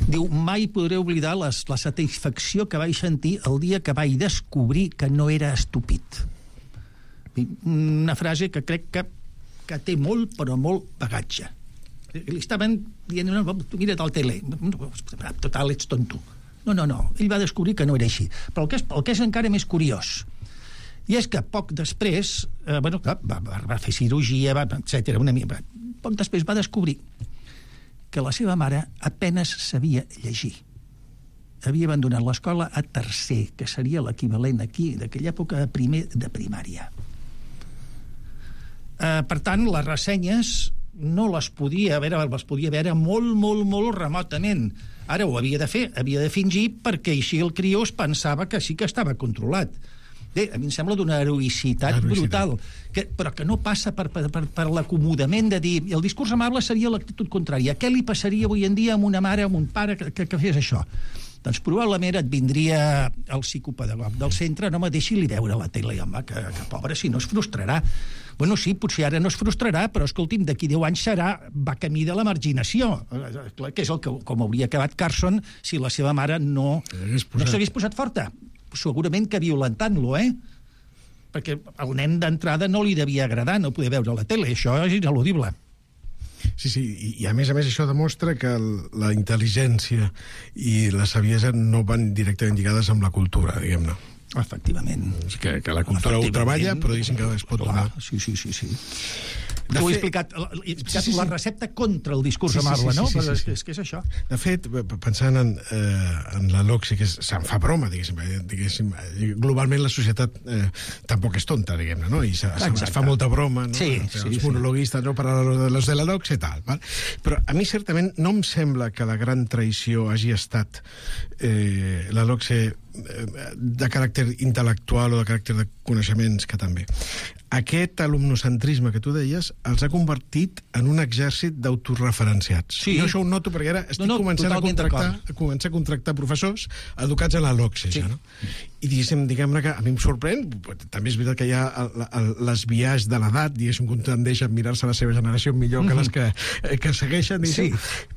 Diu, mai podré oblidar les, la satisfacció que vaig sentir el dia que vaig descobrir que no era estúpid. Una frase que crec que, que té molt, però molt bagatge. Li estaven dient, mira't al tele, total, ets tonto. No, no, no, ell va descobrir que no era així. Però el que és, el que és encara més curiós, i és que poc després, eh, bueno, clar, va, va, va fer cirurgia, va, etcètera, una mica, poc després va descobrir que la seva mare apenes sabia llegir. Havia abandonat l'escola a tercer, que seria l'equivalent aquí, d'aquella època, de primer de primària. Eh, per tant, les ressenyes no les podia veure, les podia veure molt, molt, molt remotament. Ara ho havia de fer, havia de fingir, perquè així el crió es pensava que sí que estava controlat. Bé, a mi em sembla d'una heroïcitat brutal, que, però que no passa per, per, per, per l'acomodament de dir... El discurs amable seria l'actitud contrària. Què li passaria avui en dia amb una mare, amb un pare que, que, que fes això? Doncs probablement et vindria el psicopedagog del centre, no me deixi-li veure la tele, home, que, que pobre, si no es frustrarà. Bueno, sí, potser ara no es frustrarà, però escolti'm, d'aquí deu anys serà, va camí de la marginació, que és el que, com hauria acabat Carson si la seva mare no, no s'hagués posat forta. Segurament que violentant-lo, eh? Perquè el nen d'entrada no li devia agradar no poder veure la tele, això és ineludible.
Sí, sí, i, i a més a més això demostra que el, la intel·ligència i la saviesa no van directament lligades amb la cultura, diguem-ne.
Efectivament.
Que, que la cultura ho treballa, però diguéssim que es pot donar.
Sí, sí, sí, sí. Ho he explicat, he explicat sí, sí, sí. La recepta contra el discurs sí, amable, sí, sí, no? Sí, sí, sí, sí. És que és això.
De fet, pensant en, eh, en la L'Occità, que se'n fa broma, diguéssim, diguéssim, globalment la societat eh, tampoc és tonta, diguem-ne, no? I se, se, es fa molta broma, no?
Sí,
els
sí,
monologuistes, no? Per a los de la L'Occità i tal, val? Però a mi certament no em sembla que la gran traïció hagi estat eh, la L'Occità de caràcter intel·lectual o de caràcter de coneixements, que també. Aquest alumnocentrisme que tu deies els ha convertit en un exèrcit d'autoreferenciats. Sí. Jo això ho noto perquè ara estic no, no, començant, a contractar, a començar a contractar professors educats a la L'Occità, sí. Ja, no? I diguéssim, diguem-ne que a mi em sorprèn, també és veritat que hi ha el, el, les biaix de l'edat, diguéssim, que tendeix a mirar-se la seva generació millor que les que, que segueixen, sí.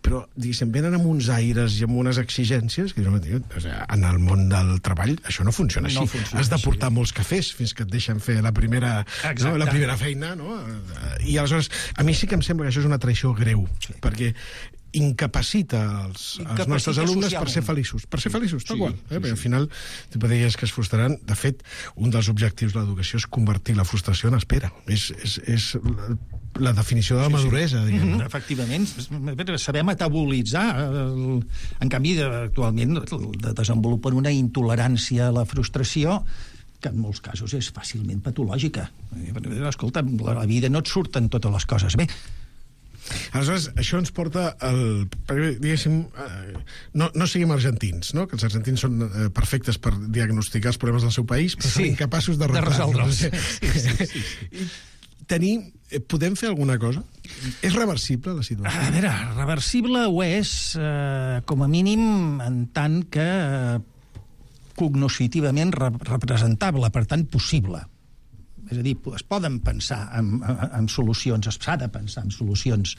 Però, diguéssim, venen amb uns aires i amb unes exigències que en el món del treball això no funciona així. No funciona Has de portar així. Molts cafès fins que et deixen fer la primera, no, la primera feina, no? I aleshores, a mi sí que em sembla que això és una traïció greu, sí. Perquè incapacita els, els nostres alumnes per ser feliços, per ser feliços, tal qual. Eh? Perquè al final tu deies que es frustraran. De fet, un dels objectius de l'educació és convertir la frustració en espera. És, és, és la definició de la maduresa, diguem.
Mm-hmm. Efectivament, saber metabolitzar. En canvi, actualment desenvolupen una intolerància a la frustració que en molts casos és fàcilment patològica. Escolta, la vida no et surten totes les coses bé.
Aleshores, això ens porta al... Diguéssim, no, no siguem argentins, no? Que els argentins són eh, perfectes per diagnosticar els problemes del seu país, però sí, són incapaços de, de resoldre'ls. Sí, sí, sí, sí. Tenir, podem fer alguna cosa? És reversible, la situació?
A veure, reversible ho és, eh, com a mínim, en tant que eh, cognoscitivament representable, per tant, possible. És a dir, es poden pensar en, en, en solucions, s'ha de pensar en solucions.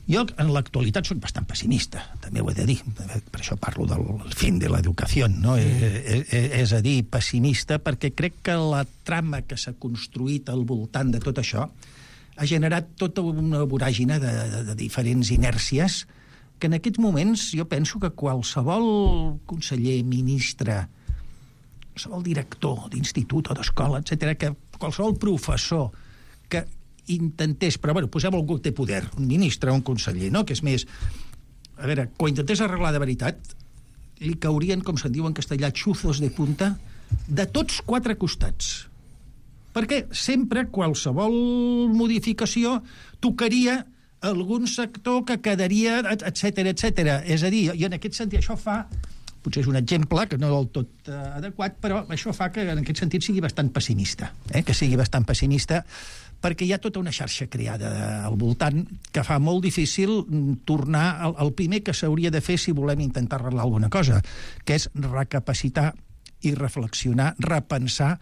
Jo, en l'actualitat, soc bastant pessimista, també ho he de dir. Per això parlo del fin de l'educació, no? Mm. És, és a dir, pessimista, perquè crec que la trama que s'ha construït al voltant de tot això ha generat tota una voràgina de, de, de diferents inèrcies que en aquests moments jo penso que qualsevol conseller, ministre, qualsevol director d'institut o d'escola, etcètera, que qualsevol professor que intentés, però bueno, posem algú que té poder, un ministre o un conseller, no? Que és més, a veure, quan intentés arreglar de veritat, li caurien, com se'n diu en castellà, xuzos de punta, de tots quatre costats. Perquè sempre qualsevol modificació tocaria algun sector que quedaria, etcètera, etcètera. És a dir, i en aquest sentit això fa... Potser és un exemple que no del tot uh, adequat, però això fa que en aquest sentit sigui bastant pessimista, eh? que sigui bastant pessimista, perquè hi ha tota una xarxa creada al voltant que fa molt difícil tornar al, al primer que s'hauria de fer si volem intentar arreglar alguna cosa, que és recapacitar i reflexionar, repensar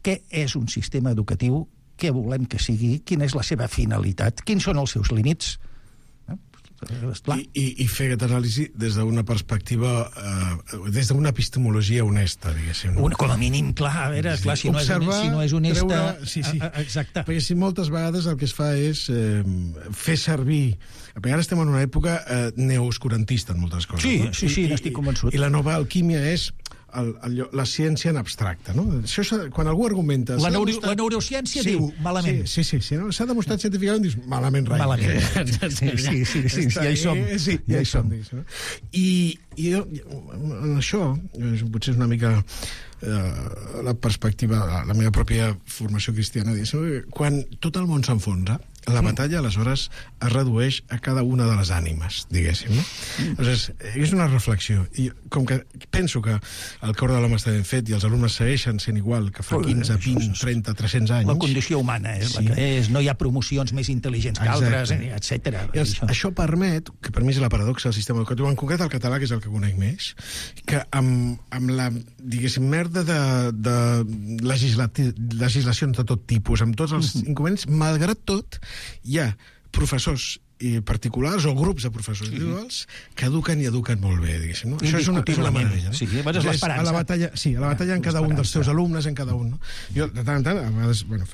què és un sistema educatiu, què volem que sigui, quina és la seva finalitat, quins són els seus límits.
I, i, i fer aquesta anàlisi des d'una perspectiva, eh, des d'una epistemologia honesta, diguéssim. No?
Una, com a mínim, clar, a veure, sí, clar, si, observar, no és, si no és honesta... Treure,
sí, sí.
A, a, exacte.
Perquè si moltes vegades el que es fa és eh, fer servir... Perquè ara estem en una època eh, neooscurantista en moltes coses.
Sí,
no?
sí, sí, n'estic convençut.
I la nova alquímia és... El, el, la ciència en abstracte, no? Això quan algú argumenta...
La, neuro, demostrat... la neurociència sí, diu malament.
Sí, sí, sí, sí no? S'ha demostrat científicament, dius malament rai.
Malament. Sí, sí, sí, sí, sí, ja hi som.
Sí, ja hi som. No? I, i jo, en això, potser és una mica eh, la perspectiva, la meva pròpia formació cristiana, diguéssim, quan tot el món s'enfonsa, la batalla, aleshores, es redueix a cada una de les ànimes, diguéssim, no? Aleshores, és una reflexió. I com que penso que el cor de l'home està ben fet i els alumnes segueixen sent igual que fa quinze, vint, trenta, tres-cents anys...
La condició humana és sí. la que és, no hi ha promocions més intel·ligents que altres, etcètera.
Això. això permet, que per mi és la paradoxa del sistema educatiu, en concret el català, que és el que conec més, que amb, amb la, diguéssim, merda de, de legislacions de tot tipus, amb tots els inconvenients, malgrat tot, hi ha professors i particulars o grups de professors individuals que eduquen i eduquen molt bé, diguéssim, no? Això és una, és una meravella, no?
Sí, és l'esperança.
A la batalla, sí, a la batalla en cada un dels teus alumnes, en cada un, no? Jo, de tant en tant, a vegades, bueno,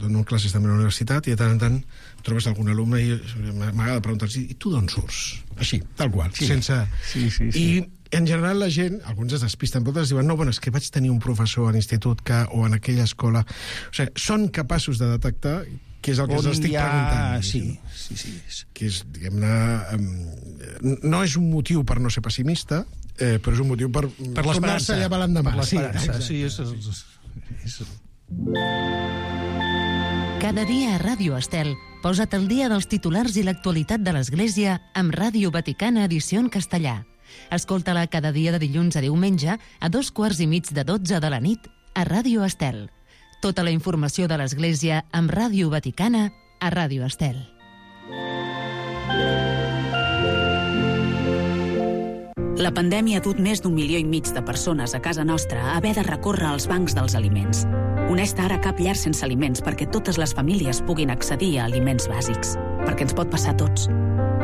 dono classes també a la universitat i de tant en tant trobes algun alumne i m'agrada preguntar-los, i tu d'on surts? Així, tal qual, sí. sense...
Sí, sí, sí.
I en general la gent, alguns es despisten, però altres diuen, no, bueno, és que vaig tenir un professor a l'institut que, o en aquella escola... O sigui, són capaços de detectar que és el que us estic ha... preguntant.
Sí, sí, sí.
Que és, diguem-ne... Um, no és un motiu per no ser pessimista, eh, però és un motiu per,
per tornar-se
allà per l'endemà.
Per l'esperança, sí. És, és, és...
Cada dia a Ràdio Estel, posa't al dia dels titulars i l'actualitat de l'Església amb Ràdio Vaticana edició en castellà. Escolta-la cada dia de dilluns a diumenge a dos quarts i mig de dotze de la nit a Ràdio Estel. Tota la informació de l'Església amb Ràdio Vaticana a Ràdio Estel.
La pandèmia ha dut més d'un milió i mig de persones a casa nostra a haver de recórrer als bancs dels aliments. Uneix-te ara a Cap Llar Sense Aliments perquè totes les famílies puguin accedir a aliments bàsics. Perquè ens pot passar a tots.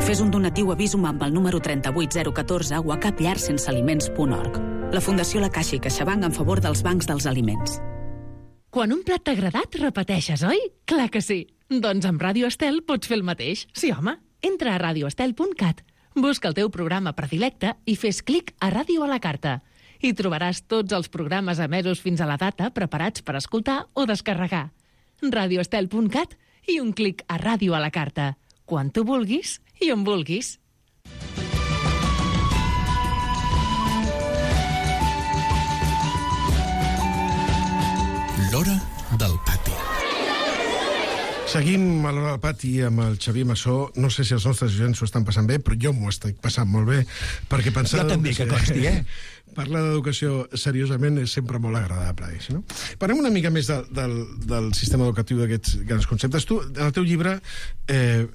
Fes un donatiu a Visum amb el número trenta-vuit zero catorze o a capllarsensealiments punt org. La Fundació La Caixa i CaixaBank en favor dels bancs dels aliments.
Quan un plat t'ha agradat, repeteixes, oi? Clar que sí. Doncs amb Ràdio Estel pots fer el mateix. Sí, home. Entra a radio estel punt cat, busca el teu programa predilecte i fes clic a Ràdio a la carta. Hi trobaràs tots els programes emesos fins a la data preparats per escoltar o descarregar. radio estel punt cat i un clic a Ràdio a la carta. Quan tu vulguis i on vulguis.
L'hora del pati.
Seguim a l'hora del pati amb el Xavier Massó. No sé si els nostres oients s'ho estan passant bé, però jo m'ho estic passant molt bé, perquè pensar...
Jo també, que consti, eh?
Parlar d'educació seriosament és sempre molt agradable. No? Parlem una mica més de, del, del sistema educatiu d'aquests grans conceptes. Tu, en el teu llibre, eh,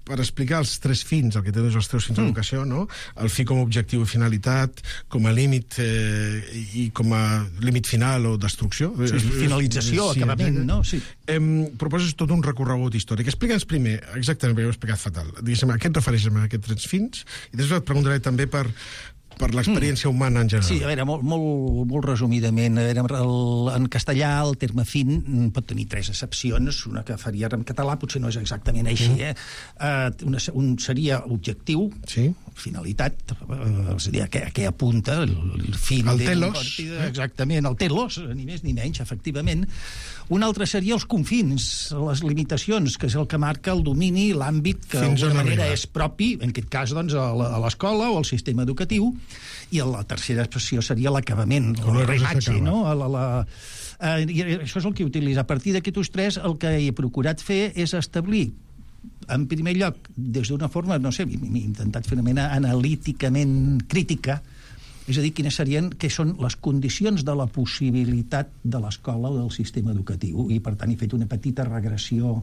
per explicar els tres fins, el que tens els tres fins mm. d'educació, no? El fi com a objectiu i finalitat, com a límit eh, i com a límit final o destrucció.
Sí, finalització, sí, acabament, no? Sí.
Eh, proposes tot un recorregut històric. Explica'ns primer, exactament, perquè ho he explicat fatal, diguéssim, a què et refereixes amb aquests tres fins? I després et preguntaré també per... per l'experiència humana en general.
Sí, a veure, molt, molt, molt resumidament, a veure, el, en castellà el terme fin pot tenir tres accepcions, una que faria en català potser no és exactament així, eh? Uh, una, un seria objectiu,
sí.
Finalitat, uh, és a dir, a què, a què apunta el, el fin.
El telos.
Partida, exactament, el telos, ni més ni menys, efectivament. Un altre seria els confins, les limitacions, que és el que marca el domini, l'àmbit que d'alguna manera és propi, en aquest cas, doncs, a l'escola o al sistema educatiu. I la tercera expressió seria l'acabament, el reimatge, no? La, la, eh, I això és el que utilitza. A partir d'aquests tres, el que he procurat fer és establir, en primer lloc, des d'una forma, no sé, m'he intentat fer una mena analíticament crítica, és a dir, quines serien, què són les condicions de la possibilitat de l'escola o del sistema educatiu. I, per tant, he fet una petita regressió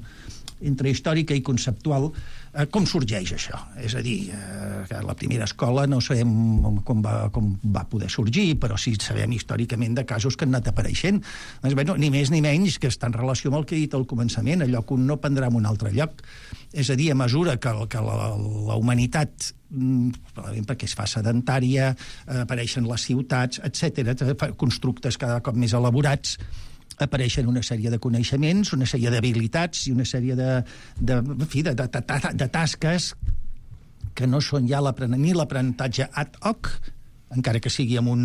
entre històrica i conceptual. Eh, com sorgeix això? És a dir, eh, que la primera escola no sabem com va, com va poder sorgir, però sí sabem històricament de casos que han anat apareixent. Doncs, bé, no, ni més ni menys que està en relació amb el que he dit al començament, allò que un no prendrà en un altre lloc. És a dir, a mesura que, que la, la humanitat, probablement perquè es fa sedentària, eh, apareixen les ciutats, etcètera, constructes cada cop més elaborats, apareixen una sèrie de coneixements, una sèrie d'habilitats i una sèrie de, de, en fi, de, de, de, de tasques que no són ja ni l'aprenentatge ad hoc, encara que sigui amb un,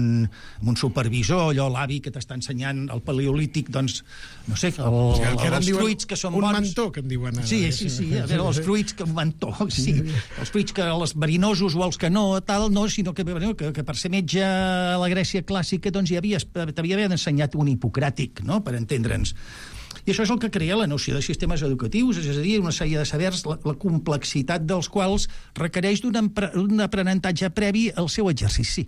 amb un supervisor, allò, l'avi que t'està ensenyant el paleolític, doncs, no sé, el,
sí, el, el, els fruits
que són
un
bons...
Un mantó, que em diuen ara.
Sí, sí, sí, a veure, els fruits que un mantó, sí. Els fruits que els verinosos o els que no, tal, no, sinó que, que, que per ser metge a la Grècia clàssica, doncs, ja havies, t'havia ensenyat un hipocràtic, no?, per entendre'ns. I això és el que crea la noció de sistemes educatius, és a dir, una sèrie de sabers, la, la complexitat dels quals requereix d'un un aprenentatge previ al seu exercici.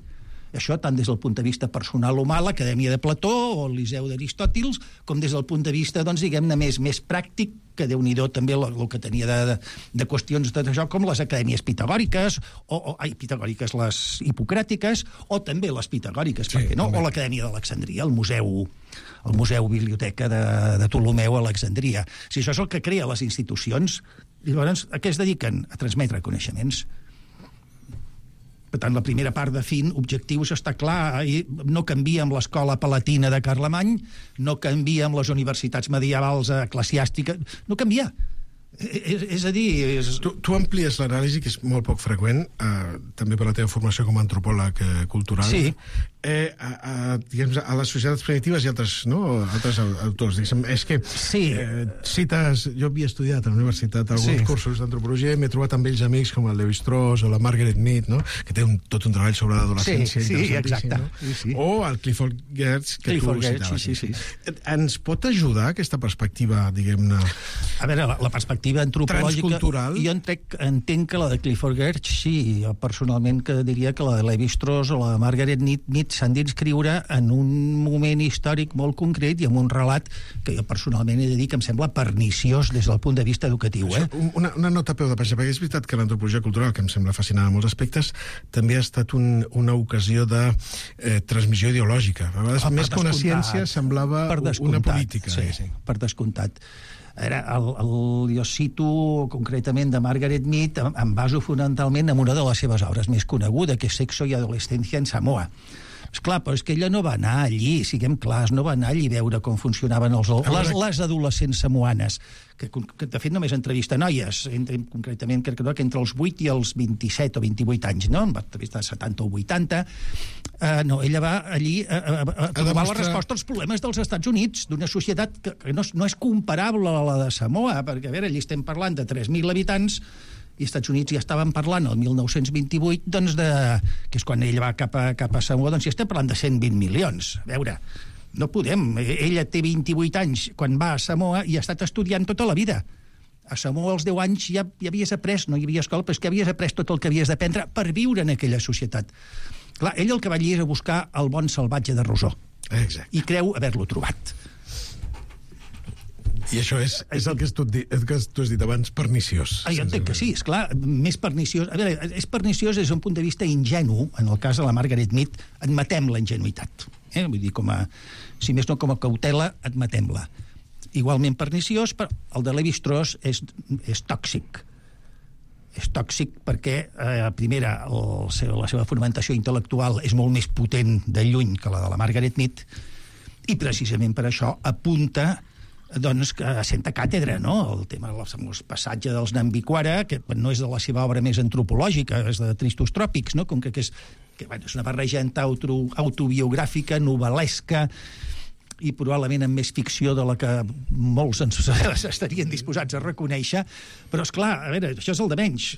Això tant des del punt de vista personal humà, l'Acadèmia de Plató o el Liceu d'Aristòtils, com des del punt de vista, doncs, diguem-ne, més, més pràctic, que Déu-n'hi-do també el, el que tenia de, de, de qüestions d'això, com les acadèmies pitagòriques, o, o ai, pitagòriques, les hipocràtiques, o també les pitagòriques, sí, per què no? També. O l'Acadèmia d'Alexandria, el museu, el museu biblioteca de, de Ptolomeu a Alexandria. Si això és el que crea les institucions, llavors, a què es dediquen? A transmetre coneixements. Per tant, la primera part de fin, objectius, està clar, no canvia amb l'escola palatina de Carlemany, no canvia amb les universitats medievals eclesiàstiques, no canvia. És, és a dir... És...
Tu, tu amplies l'anàlisi, que és molt poc freqüent, eh, també per la teva formació com a antropòleg eh, cultural,
sí.
eh, a, a, diguem, a les societats primitives i altres, no, altres autors. Diguem, és que
sí.
eh, cites... Jo havia estudiat a la universitat alguns sí. cursos d'antropologia i m'he trobat amb ells amics com el Lévi-Strauss o la Margaret Mead, no? Que té un, tot un treball sobre l'adolescència.
Sí, sí, exacte.
No?
Sí, sí.
O el Clifford Geertz, que
Clifford
tu
Geertz,
citaves.
sí, sí, sí.
Ens pot ajudar aquesta perspectiva, diguem-ne...
A veure, la, la perspectiva antropològica... Jo entenc, entenc que la de Clifford Geertz, sí, jo personalment que diria que la de Lévi-Strauss o la de Margaret Mead s'han d'inscriure en un moment històric molt concret i amb un relat que jo personalment he de dir que em sembla perniciós des del punt de vista educatiu. Eh?
Això, una, una nota a peu de pàgina, perquè és veritat que l'antropologia cultural, que em sembla fascinant en molts aspectes, també ha estat un, una ocasió de eh, transmissió ideològica. A vegades, ah, més que una ciència, semblava una política.
Sí, sí, per descomptat. Era el, el, jo cito concretament de Margaret Mead, em, em baso fonamentalment en una de les seves obres més coneguda, que és Sexo i adolescència en Samoa. Esclar, però és que ella no va anar allí, siguem clars, no va anar allí a veure com funcionaven els, les, les adolescents samoanes, que, que de fet només entrevista noies, entre, concretament crec que, no, que entre els vuit i els vint-i-set o vint-i-vuit anys, no? En va entrevistar setanta o vuitanta. Uh, no, ella va allí a, a, a, a trobar demostrar... la resposta als problemes dels Estats Units, d'una societat que, que no, no és comparable a la de Samoa, perquè, a veure, allí estem parlant de tres mil habitants, i als Estats Units ja estaven parlant el mil nou-cents vint-i-vuit, doncs de, que és quan ell va cap a, cap a Samoa, doncs ja estem parlant de cent vint milions. A veure, no podem. Ella té vint-i-vuit anys quan va a Samoa i ha estat estudiant tota la vida. A Samoa als deu anys ja, ja havies après, no hi havia escola, però és que havies après tot el que havies d'aprendre per viure en aquella societat. Clar, ell el que va allí és a buscar el bon salvatge de Rousseau.
Exacte.
I creu haver-lo trobat.
I això és, és el que tu, el que tu has dit abans, perniciós.
Ah, jo entenc que sí, esclar, més perniciós. A veure, és perniciós des d'un punt de vista ingenu. En el cas de la Margaret Mead, admetem la ingenuïtat. Eh? Vull dir, com a, si més no com a cautela, admetem-la. Igualment perniciós, però el de Lévi-Strauss és, és tòxic. És tòxic perquè, eh, primera, el seu, la seva fonamentació intel·lectual és molt més potent de lluny que la de la Margaret Mead, i precisament per això apunta doncs que assenta càtedra, no? El tema del passatge dels Nambiquara, que no és de la seva obra més antropològica, és de Tristos Tròpics, no? Com que, que és, que, bueno, és una barrejanta auto, autobiogràfica, novel·lesca, i probablement amb més ficció de la que molts ens estarien disposats a reconèixer, però, esclar, a veure, això és el de menys.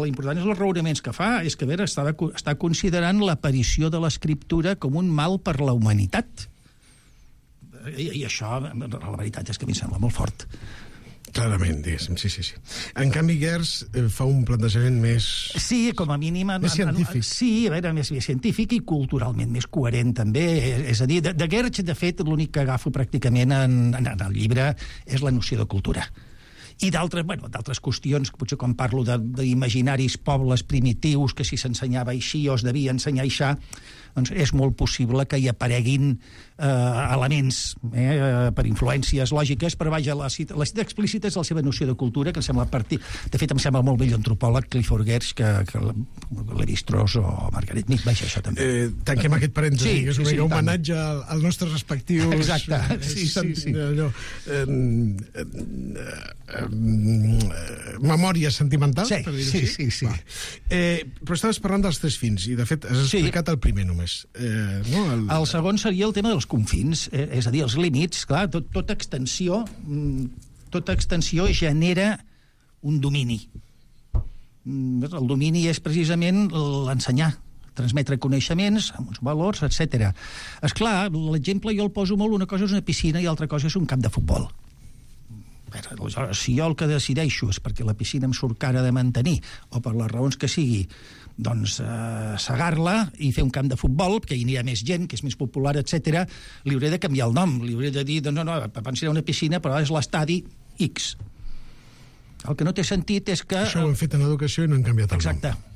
L'important és els raonaments que fa, és que, a veure, està, està considerant l'aparició de l'escriptura com un mal per la humanitat. I, i això, la veritat és que a mi em sembla molt fort.
Clarament, diguéssim, sí, sí, sí. En canvi, Gers eh, fa un plantejament més...
Sí, com a mínim...
Més científic.
Sí, a veure, més, més científic i culturalment més coherent, també. És a dir, de, de Gers, de fet, l'únic que agafo pràcticament en, en, en el llibre és la noció de cultura. I d'altres, bueno, d'altres qüestions, potser quan parlo d'imaginaris pobles primitius, que si s'ensenyava així o es devia ensenyar així, doncs és molt possible que hi apareguin eh, elements eh, per influències lògiques, però vaja, la cita, la cita explícita és la seva noció de cultura, que em sembla partir... De fet, em sembla molt vell antropòleg Clifford Geertz que, que Lévi-Strauss o Margaret Mead, vaja, això també.
Eh, tanquem aquest parèntesi,
sí,
que és un
sí,
homenatge al, al nostre respectius...
Exacte, sí, sí, sí.
Allò, eh, eh, eh, memòria sentimental,
sí,
per dir-ho
sí,
així.
sí, sí.
Eh, però estaves parlant dels tres fins, i de fet has explicat sí. el primer només. Eh, no? el...
el segon seria el tema dels confins, eh, és a dir, els límits. Clar, tot, tota extensió tota extensió genera un domini. El domini és precisament l'ensenyar, transmetre coneixements, amb uns valors, etcètera. Esclar, l'exemple jo el poso molt, una cosa és una piscina i altra cosa és un camp de futbol. Aleshores, si jo el que decideixo és perquè la piscina em surt cara de mantenir, o per les raons que sigui, doncs eh, segar-la i fer un camp de futbol, perquè hi anirà més gent, que és més popular, etcètera, li hauré de canviar el nom, li hauré de dir, doncs no, no, abans era una piscina, però és l'estadi X. El que no té sentit és que...
Això ho hem fet en educació i no hem canviat el
Exacte.
nom.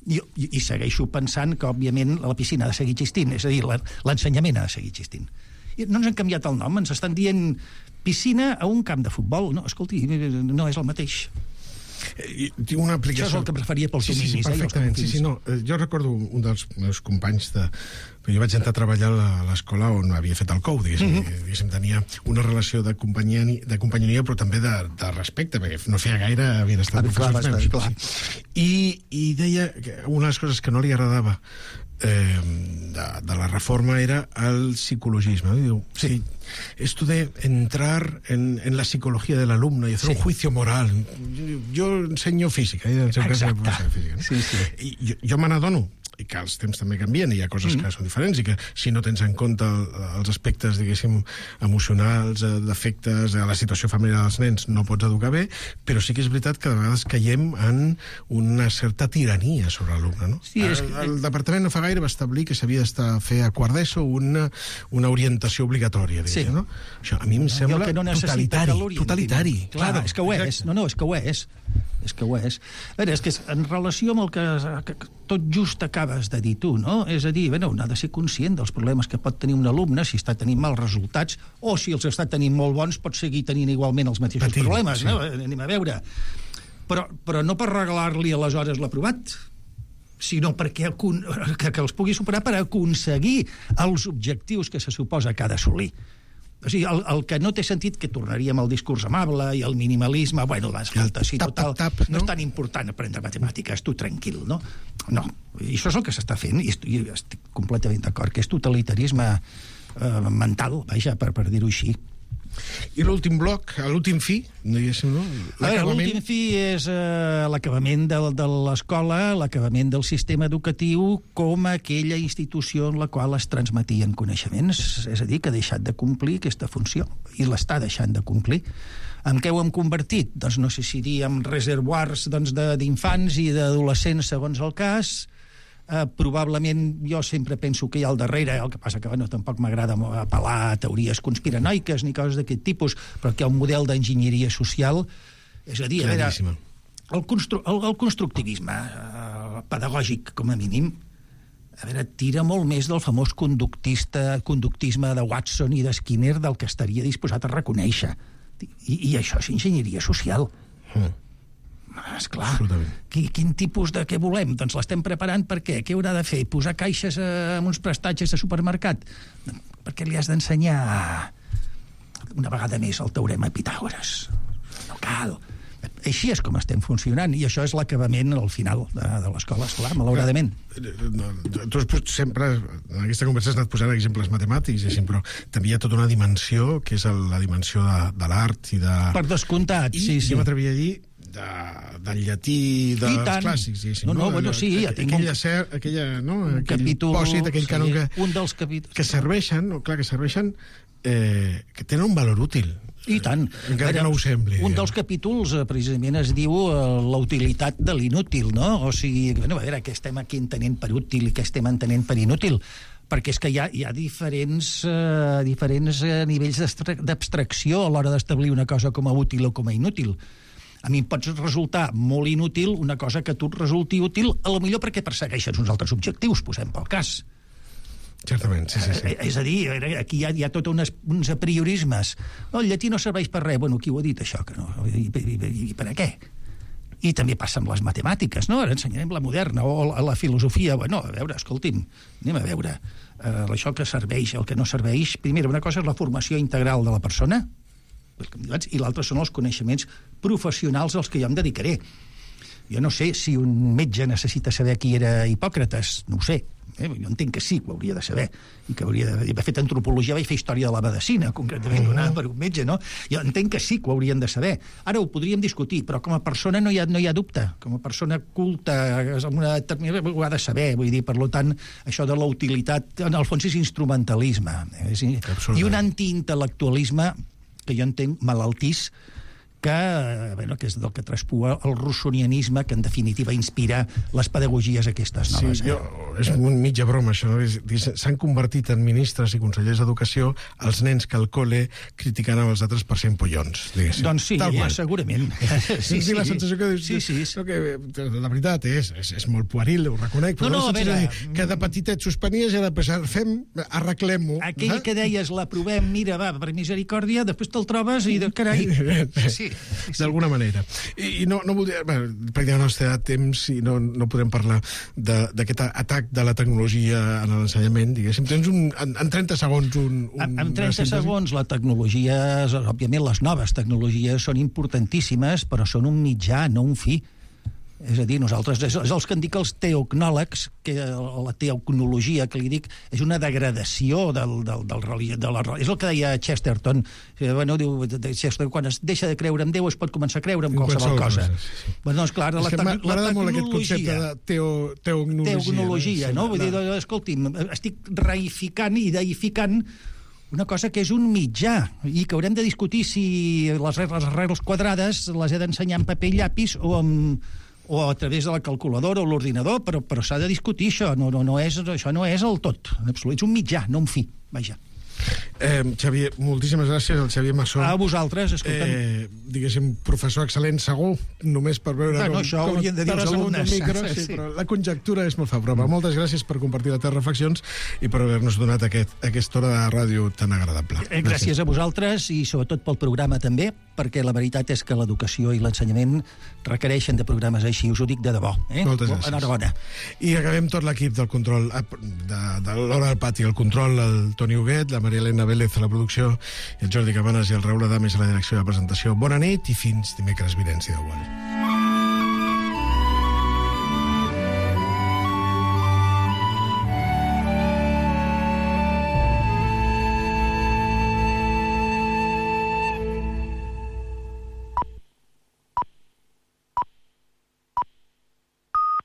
I, i, I segueixo pensant que, òbviament, la piscina ha de seguir existint, és a dir, l'ensenyament ha de seguir existint. I no ens han canviat el nom, ens estan dient piscina a un camp de futbol. No, escolti, no és el mateix.
Eh, una aplicació...
Això és el que preferia pels
sí,
dominis.
Sí, sí, perfectament. Eh, sí, sí, no. Jo recordo un dels meus companys de... Jo vaig entrar a treballar a l'escola on havia fet el C O U, diguéssim. Mm -hmm. diguéssim tenia una relació de companyonia, de companyonia però també de, de respecte, perquè no feia gaire havien estat ah, professors meus. Clar. I, I deia que una de les coses que no li agradava eh, de, de la reforma era el psicologisme. Diu, sí. Esto de entrar en, en la psicología del alumno y hacer sí. un juicio moral. Yo, yo ensenyo física. Eh?
Exacte.
Física, no?
Sí, sí.
I jo, jo me n'adono i que els temps també canvien, i hi ha coses mm. que són diferents, i que si no tens en compte el, els aspectes, diguéssim, emocionals, d'afectes, a la situació familiar dels nens, no pots educar bé, però sí que és veritat que de vegades caiem en una certa tirania sobre l'alumne, no? Sí, és... el, el departament no fa gaire va establir que s'havia de fer a quart d'ESO una, una orientació obligatòria, diguéssim, sí. no? Això a mi em sembla
que no
totalitari. Totalitari.
Clar, claro, és que ho és. Exacte. No, no, és que ho és. És que ho és. A veure, és que en relació amb el que, que tot just acabes de dir tu, no? És a dir, bueno, un ha de ser conscient dels problemes que pot tenir un alumne si està tenint mals resultats, o si els està tenint molt bons pot seguir tenint igualment els mateixos Patint, problemes, sí. no? Anem a veure. Però, però no per regalar-li aleshores l'aprovat. sinó perquè que, que els pugui superar per aconseguir els objectius que se suposa que ha d'assolir. O sigui, el, el que no té sentit, que tornaríem al discurs amable i al minimalisme, bueno, escolta, sí, total, tap, tap, no? no és tan important aprendre matemàtiques, tu tranquil, no? No, i això és el que s'està fent, i estic, estic completament d'acord, que és totalitarisme eh, mental, vaja, per, per dir-ho així.
I l'últim bloc, l'últim fi, diguéssim, no?
L'últim fi és eh, l'acabament de, de l'escola, l'acabament del sistema educatiu com aquella institució en la qual es transmetien coneixements, és a dir, que ha deixat de complir aquesta funció, i l'està deixant de complir. En què ho hem convertit? Doncs no sé si diem reservoirs doncs, d'infants i d'adolescents segons el cas. Uh, probablement jo sempre penso que hi ha al darrere, el que passa que bueno, tampoc m'agrada apel·lar a teories conspiranoiques ni coses d'aquest tipus, però que hi ha un model d'enginyeria social, és a dir, a veure, el, constru el, el constructivisme uh, pedagògic, com a mínim, a veure, tira molt més del famós conductista, conductisme de Watson i de Skinner del que estaria disposat a reconèixer. I, i això és enginyeria social. Mm. Esclar, quin, quin tipus de què volem? Doncs l'estem preparant per què? Què haurà de fer? Posar caixes eh, amb uns prestatges de supermercat? Perquè li has d'ensenyar una vegada més el teorema Pitàgores. No cal. Així és com estem funcionant, i això és l'acabament al final de, de l'escola, esclar, malauradament.
Tu has sempre, en aquesta conversa has anat posant exemples matemàtics, però també hi ha tota una dimensió, que és la dimensió de, de l'art i de...
Per descomptat,
I,
sí, sí.
I jo m'atreviria a dir de, del llatí dels clàssics, diguéssim.
No, no, bueno, sí, ja tinc
aquella, ser, aquella, no, aquell
capítol,
pòsit, aquell
sí,
cànon que,
un dels capítols,
que serveixen, no, clar, que serveixen, eh, que tenen un valor útil.
I tant.
Encara que no ho sembli.
Un dels capítols, precisament, es diu uh, la utilitat de l'inútil, no? O sigui, bueno, a veure, què estem aquí entenent per útil i què estem entenent per inútil? Perquè és que hi ha, hi ha diferents, uh, diferents uh, nivells d'abstracció a l'hora d'establir una cosa com a útil o com a inútil. A mi em pot resultar molt inútil una cosa que a tu et resulti útil, a lo millor perquè persegueixes uns altres objectius, posem pel cas.
Certament, sí, sí, sí.
És a dir, aquí hi ha, hi ha tot unes, uns apriorismes. No, el llatí no serveix per res. Bueno, qui ho ha dit, això? Que no? I, i, i, I per a què? I també passa amb les matemàtiques, no? Ara ensenyarem la moderna o la, la filosofia. Bueno, a veure, escolti'm, anem a veure. Uh, això que serveix, el que no serveix... Primera, una cosa és la formació integral de la persona, i l'altra són els coneixements professionals als que jo em dedicaré. Jo no sé si un metge necessita saber qui era Hipòcrates, no ho sé. Eh? Jo entenc que sí, que ho hauria de saber, i que hauria de... He fet antropologia, vaig fer història de la medicina, concretament donada per un metge, no? Jo entenc que sí que ho haurien de saber. Ara ho podríem discutir, però com a persona no hi ha, no hi ha dubte. Com a persona culta, amb una determinada... ho ha de saber, vull dir, per tant, això de la utilitat, en el fons és instrumentalisme. És... I un antiintel·lectualisme que jo entenc malaltís, que, bueno, que és del que traspua el rossonianisme, que en definitiva inspira les pedagogies aquestes noves.
Sí, jo, és un mitja broma, això. S'han convertit en ministres i consellers d'educació els nens que al col·le criticaven els altres per ser empollons, diguéssim.
Doncs sí, ja, segurament.
Sí, sí, la sensació que dius... Sí, sí. No, que, la veritat és, és, és molt pueril, ho reconec, però no, no, a veure, que de petitet suspenies i ara després fem, arreglem-ho.
Aquell eh? que deies, l'aprovem, mira, va, per misericòrdia, després te'l trobes i, de carai...
Sí. Sí, sí. D'alguna manera. I, i no, no voldria... Bueno, perquè no ens té temps i no, no podem parlar d'aquest atac de la tecnologia en l'ensenyament, diguéssim. Tens un, en, en trenta segons un... un
en trenta segons la tecnologia, òbviament les noves tecnologies són importantíssimes, però són un mitjà, no un fi. És a dir, nosaltres, és, és els que en dic els teocnòlegs, que la teocnologia que li dic és una degradació del, del, del religió, de la, és el que deia Chesterton. Bueno, diu, Chesterton, quan es deixa de creure en Déu es pot començar a creure en qualsevol cosa. Sí, sí. Bueno, doncs, clar, la, te la
tecnologia... molt aquest concepte de teo, teocnologia.
Teocnologia, no? Vull dir, escolti'm, estic reificant i deificant una cosa que és un mitjà i que haurem de discutir si les regles, les regles quadrades les he d'ensenyar en paper i llapis o amb o a través de la calculadora o l'ordinador, però, però s'ha de discutir això, no, no, no és, això no és el tot, en absolut, és un mitjà, no un fi, vaja.
Eh, Xavier, moltíssimes gràcies al Xavier Massó.
A vosaltres, escolta'm.
Eh, diguéssim, professor excel·lent segur, només per veure
Bueno,
com,
això
com
haurien de dir els
t'has assegut
alumnes.
al micro, sí,
Sí.
però la conjectura és molt favorable. Mm. Moltes gràcies per compartir les teves reflexions i per haver-nos donat aquest, aquesta hora de ràdio tan agradable.
Eh, Gràcies a vosaltres i sobretot pel programa també, perquè la veritat és que l'educació i l'ensenyament requereixen de programes així, us ho dic de debò. Eh?
Moltes gràcies.
Enhorabona.
I acabem tot l'equip del control de, de l'Hora del Pati, el control, el Toni Huguet, la Maria Elena Vélez a la producció, i el Jordi Cabanes i el Raül Adames a la direcció de la presentació. Bona nit i fins dimecres vinent, si Déu vol.